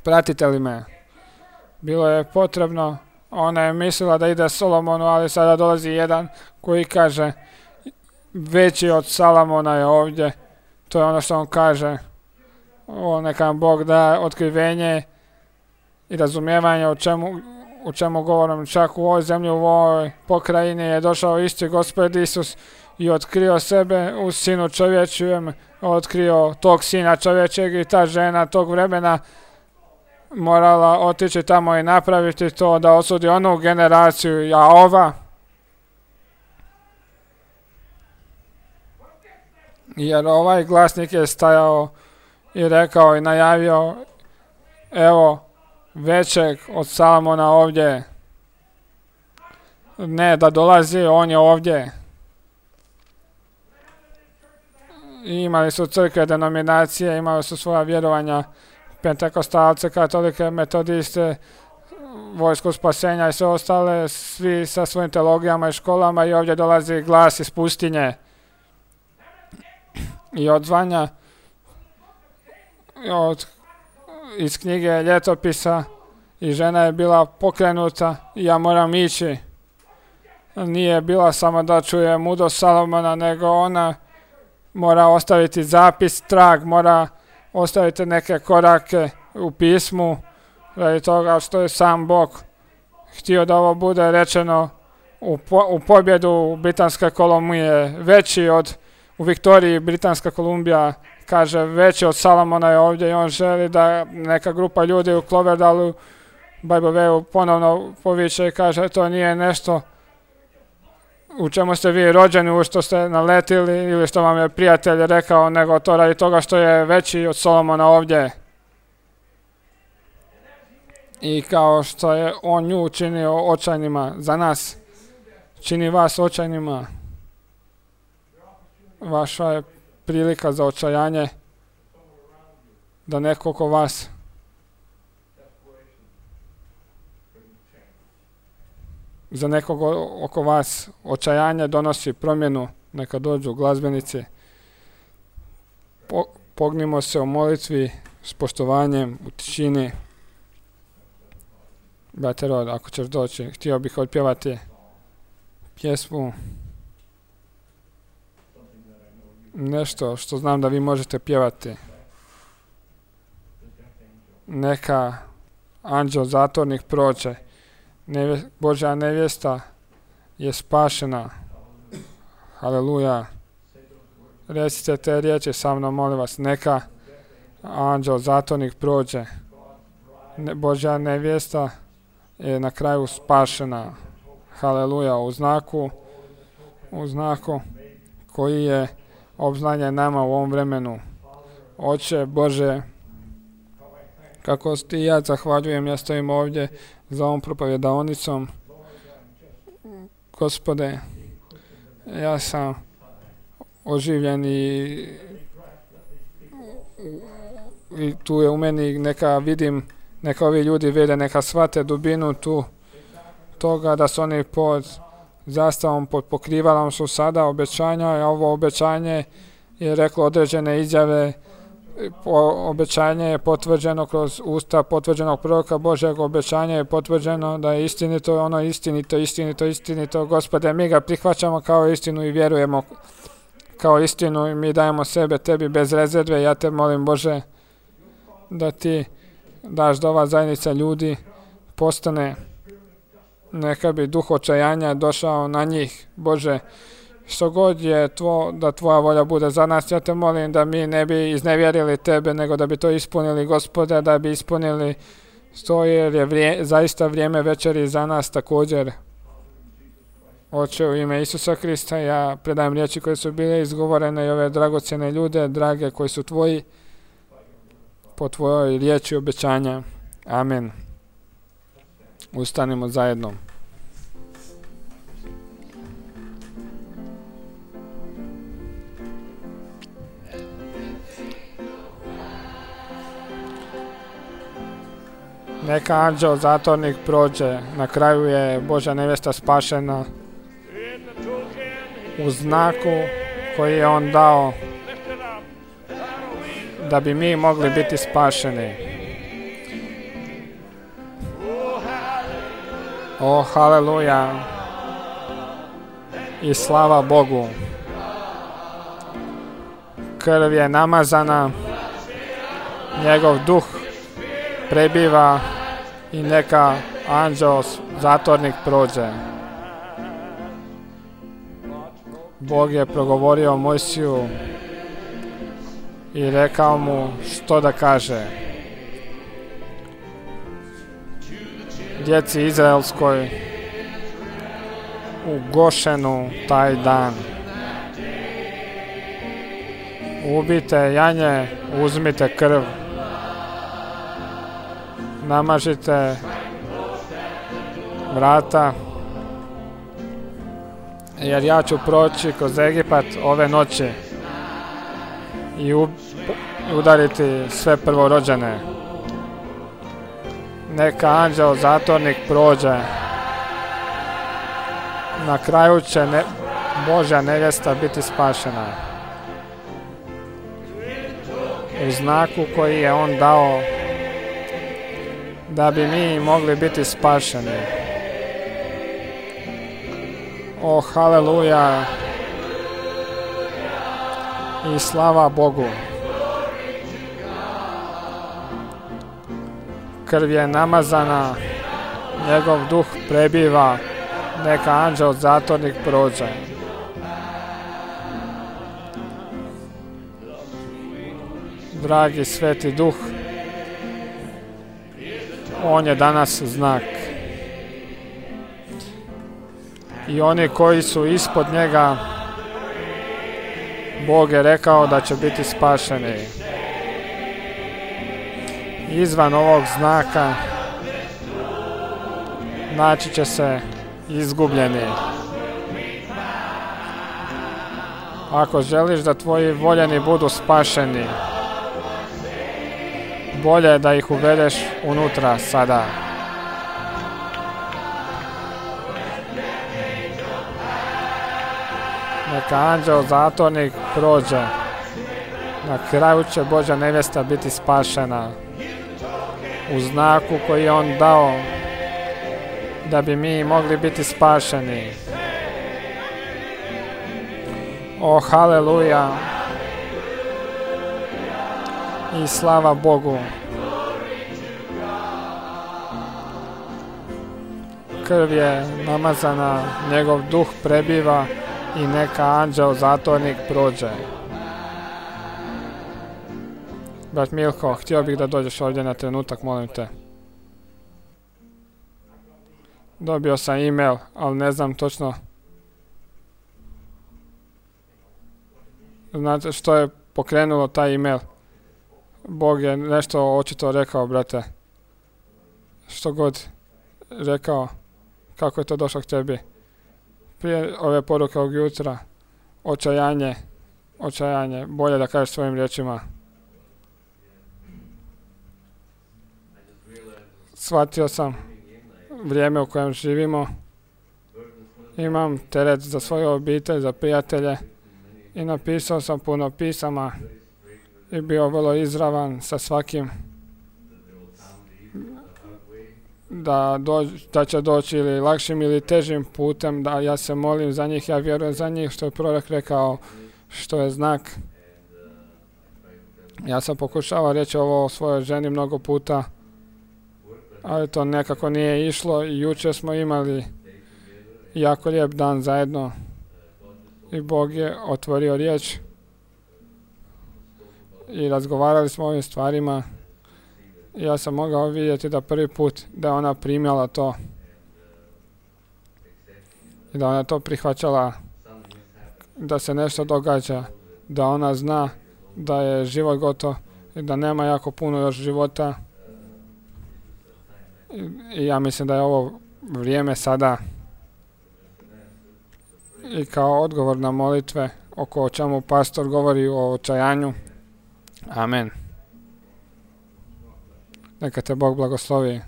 Pratite li me? Bilo je potrebno, ona je mislila da ide Solomonu, ali sada dolazi jedan koji kaže veći od Salomona je ovdje. To je ono što on kaže. Neka vam Bog da otkrivenje i razumijevanje o čemu govorim. Čak u ovoj zemlji, u ovoj pokrajini je došao isti Gospod Isus i otkrio sebe u Sinu čovječjem, otkrio tog Sina čovječeg i ta žena tog vremena morala otići tamo i napraviti to da osudi onu generaciju, a ova jer ovaj glasnik je stajao i rekao i najavio: evo većeg od Salomona ovdje. Ne da dolazi, on je ovdje. I imali su crkve, denominacije, imali su svoja vjerovanja, pentekostalce, katolike, metodiste, vojsku spasenja i sve ostale, svi sa svojim teologijama i školama, i ovdje dolazi glas iz pustinje i odzvanja iz knjige ljetopisa i žena je bila pokrenuta i ja moram ići. Nije bila samo da čuje mudrost Salomona, nego ona mora ostaviti zapis, trag, mora ostaviti neke korake u pismu radi toga što je sam Bog htio da ovo bude rečeno u pobjedu Britanske Kolumbije, veći u Viktoriji Britanska Kolumbija, kaže, veći od Salomona je ovdje i on želi da neka grupa ljudi u Cloverdalu, Bible Way ponovno poviče i kaže, to nije nešto u čemu ste vi rođeni, u što ste naletili ili što vam je prijatelj rekao, nego to radi toga što je veći od Solomona ovdje. I kao što je on nju učinio očajnima za nas, čini vas očajnima. Vaša je prilika za očajanje da neko oko vas za nekog oko vas očajanje donosi promjenu. Neka dođu glazbenici. Pognimo se u molitvi s poštovanjem, u tišini. Brate Rod, ako ćeš doći, htio bih otpjevati pjesmu, nešto što znam da vi možete pjevati. Neka anđeo zatornik prođe. Božja nevjesta je spašena. Haleluja. Recite te riječi sa mnom, molim vas. Neka anđeo zatornik prođe. Božja nevjesta je na kraju spašena. Haleluja. U znaku koji je obznanjen nama u ovom vremenu. Oče Bože, kako ti ja zahvaljujem, ja stojim ovdje za ovom propovjedaonicom. Gospode, ja sam oživljen i tu je u meni neka ovi ljudi vide, neka shvate dubinu tu toga da su oni pod zastavom, pod pokrivalom su sada obećanja, a ovo obećanje je reklo određene izjave. Obećanje je potvrđeno kroz usta potvrđenog proroka Božjeg, obećanje je potvrđeno da je istinito, ono istinito. Gospode, mi ga prihvaćamo kao istinu i vjerujemo kao istinu i mi dajemo sebe tebi bez rezerve. Ja te molim, Bože, da ti daš da ova zajednica ljudi postane, neka bi duh očajanja došao na njih. Bože, što god je da tvoja volja bude za nas, ja te molim da mi ne bi iznevjerili tebe, nego da bi to ispunili, Gospode, da bi ispunili to, jer je zaista vrijeme večeri za nas također. Oče, u ime Isusa Krista ja predajem riječi koje su bile izgovorene i ove dragocjene ljude, drage, koji su tvoji, po tvojoj riječi obećanja. Amen. Ustanimo zajedno. Neka anđeo zatornik prođe, na kraju je Božja nevjesta spašena u znaku koji je on dao da bi mi mogli biti spašeni. O, haleluja i slava Bogu. Krv je namazana, njegov duh prebiva i neka anđeo zatornik prođe. Bog je progovorio Mojsiju i rekao mu što da kaže. Djeci izraelskoj u Gošenu taj dan. Ubite janje, uzmite krv. Namažite vrata, jer ja ću proći kroz Egipat ove noći i udariti sve prvorođene. Neka anđeo zatornik prođe. Na kraju će Božja nevjesta biti spašena. U znaku koji je on dao da bi mi mogli biti spašeni. O, haleluja i slava Bogu. Krv je namazana, njegov duh prebiva Neka anđeo zatvornik prođe. Dragi Sveti Duh, on je danas znak. I oni koji su ispod njega, Bog je rekao da će biti spašeni. Izvan ovog znaka naći će se izgubljeni. Ako želiš da tvoji voljeni budu spašeni, bolje je da ih uvedeš unutra sada. Neka anđeo zatvornik prođe. Na kraju će Božja nevjesta biti spašena u znaku koji je on dao da bi mi mogli biti spašeni. O, haleluja! I slava Bogu! Krv je namazana, njegov duh prebiva i neka anđeo zatvornik prođe. Brat Milko, htio bih da dođeš ovdje na trenutak, molim te. Dobio sam e-mail, ali ne znam točno. Znate što je pokrenulo taj e-mail? Bog je nešto očito rekao, brate. Što god rekao, kako je to došlo k tebi. Prije ove poruke ovog jutra, očajanje, bolje da kažeš svojim riječima. Shvatio sam vrijeme u kojem živimo, imam teret za svoju obitelj, za prijatelje i napisao sam puno pisama i bio vrlo izravan sa svakim da će doći ili lakšim ili težim putem, da ja se molim za njih, ja vjerujem za njih, što je prorok rekao, što je znak. Ja sam pokušavao reći ovo o svojoj ženi mnogo puta, ali to nekako nije išlo i jučer smo imali jako lijep dan zajedno i Bog je otvorio riječ i razgovarali smo o ovim stvarima. Ja sam mogao vidjeti da prvi put da ona primjela to i da ona to prihvaćala, da se nešto događa, da ona zna da je život gotov i da nema jako puno još života. I ja mislim da je ovo vrijeme sada i kao odgovor na molitve oko čemu pastor govori o očajanju. Amen. Neka te Bog blagoslovi.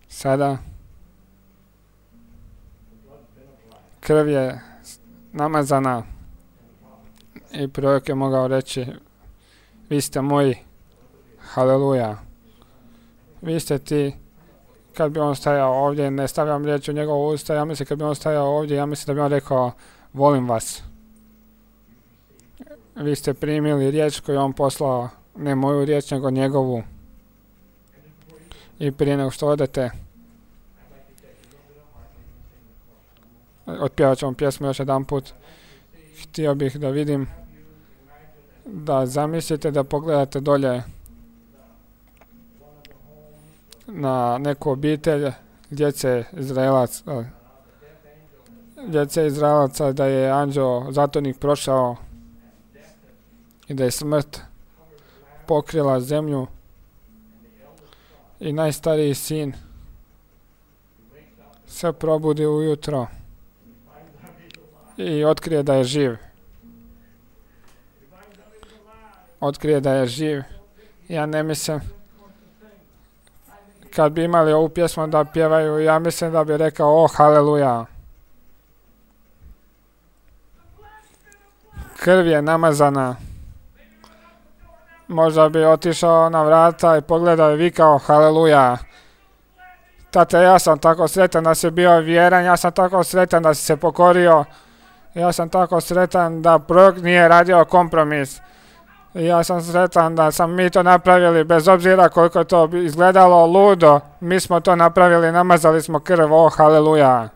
Sada krv je namazana i prorok je mogao reći, vi ste moji, haleluja. Vi ste ti, kad bi on stajao ovdje, ne stavljam riječ u njegovu usta, ja mislim kad bi on stajao ovdje, ja mislim da bi on rekao, volim vas. Vi ste primili riječ koju on poslao, ne moju riječ, nego njegovu. I prije nego što odete, otpjevat ćemo pjesmu još jedan put. Htio bih da vidim, da zamislite da pogledate dolje na neku obitelj djece Izraelaca, da je anđeo zatvornik prošao i da je smrt pokrila zemlju i najstariji sin se probudi ujutro i otkrije da je živ. Otkrije da je živ. Ja ne mislim, kad bi imali ovu pjesmu da pjevaju, ja mislim da bi rekao, o, haleluja. Krv je namazana. Možda bi otišao na vrata i pogledao i vikao, haleluja. Tate, ja sam tako sretan da si bio vjeran, ja sam tako sretan da si se pokorio, ja sam tako sretan da prorok nije radio kompromis. I ja sam sretan da sam mi to napravili, bez obzira koliko to izgledalo ludo. Mi smo to napravili, namazali smo krv, haleluja.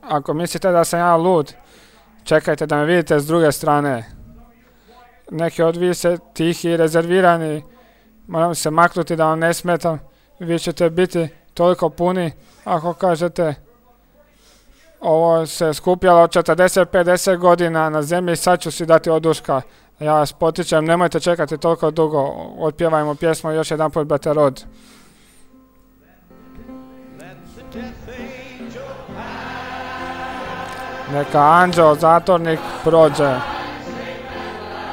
Ako mislite da sam ja lud, čekajte da me vidite s druge strane. Neki od vi se tihi i rezervirani, moram se maknuti da vam ne smetam. Vi ćete biti toliko puni ako kažete ovo se skupljalo od 40-50 godina na zemlji, sad ću si dati oduška. Ja vas potičem, nemojte čekati toliko dugo. Otpjevajmo pjesmu još jedan put, brate Rod. Neka anđeo zatornik prođe.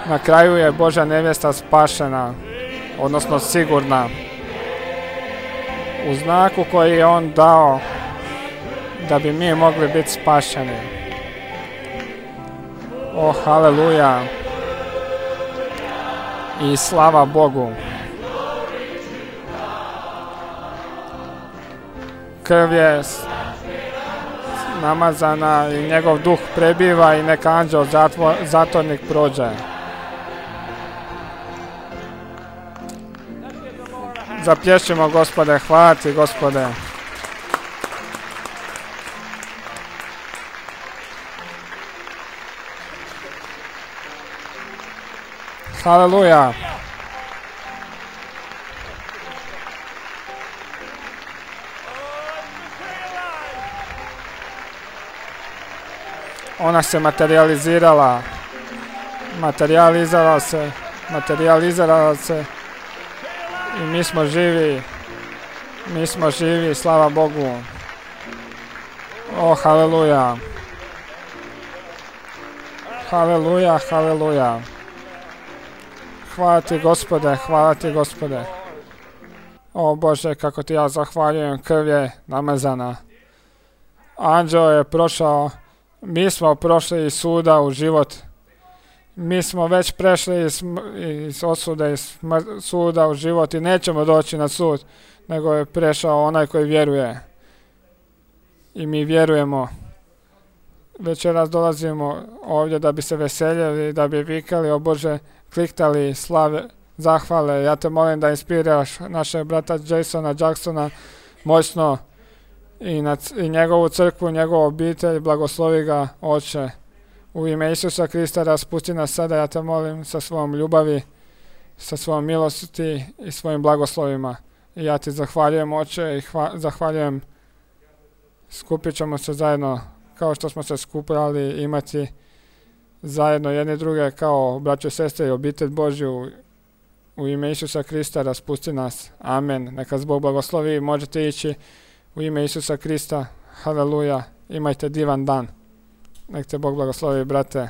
Na kraju je Božja nevjesta spašena, odnosno sigurna. U znaku koji je on dao da bi mi mogli biti spašeni. Haleluja. I slava Bogu. Krv je namazana i njegov duh prebiva i neka anđeo zatornik prođe. Zaplješćimo, Gospode, hvala ti, Gospode. Haleluja. Ona se materializirala. Materializirala se. I mi smo živi. Mi smo živi, slava Bogu. Haleluja. Haleluja, haleluja. Hvala ti, Gospode, hvala ti, Gospode. O Bože, kako ti ja zahvaljujem, krv je namazana. Anđeo je prošao, mi smo prošli iz suda u život. Mi smo već prešli iz osude, iz suda u život i nećemo doći na sud, nego je prešao onaj koji vjeruje. I mi vjerujemo. Večeras dolazimo ovdje da bi se veseljeli, da bi vikali, o Bože, kliktali slave, zahvale. Ja te molim da inspiriraš našeg brata Jasona Jacksona moćno i njegovu crkvu, njegovu obitelj, blagoslovi ga, Oče. U ime Isusa Krista raspusti nas sada, ja te molim, sa svojom ljubavi, sa svojom milosti i svojim blagoslovima. I ja ti zahvaljujem, Oče, i zahvaljujem. Skupit ćemo se zajedno kao što smo se skupljali, imati zajedno jedni druge kao braćo i sestre i obitelj Božju. U ime Isusa Krista raspusti nas. Amen. Neka Bog blagoslovi. Možete ići u ime Isusa Krista. Haleluja. Imajte divan dan. Nek te Bog blagoslovi, brate.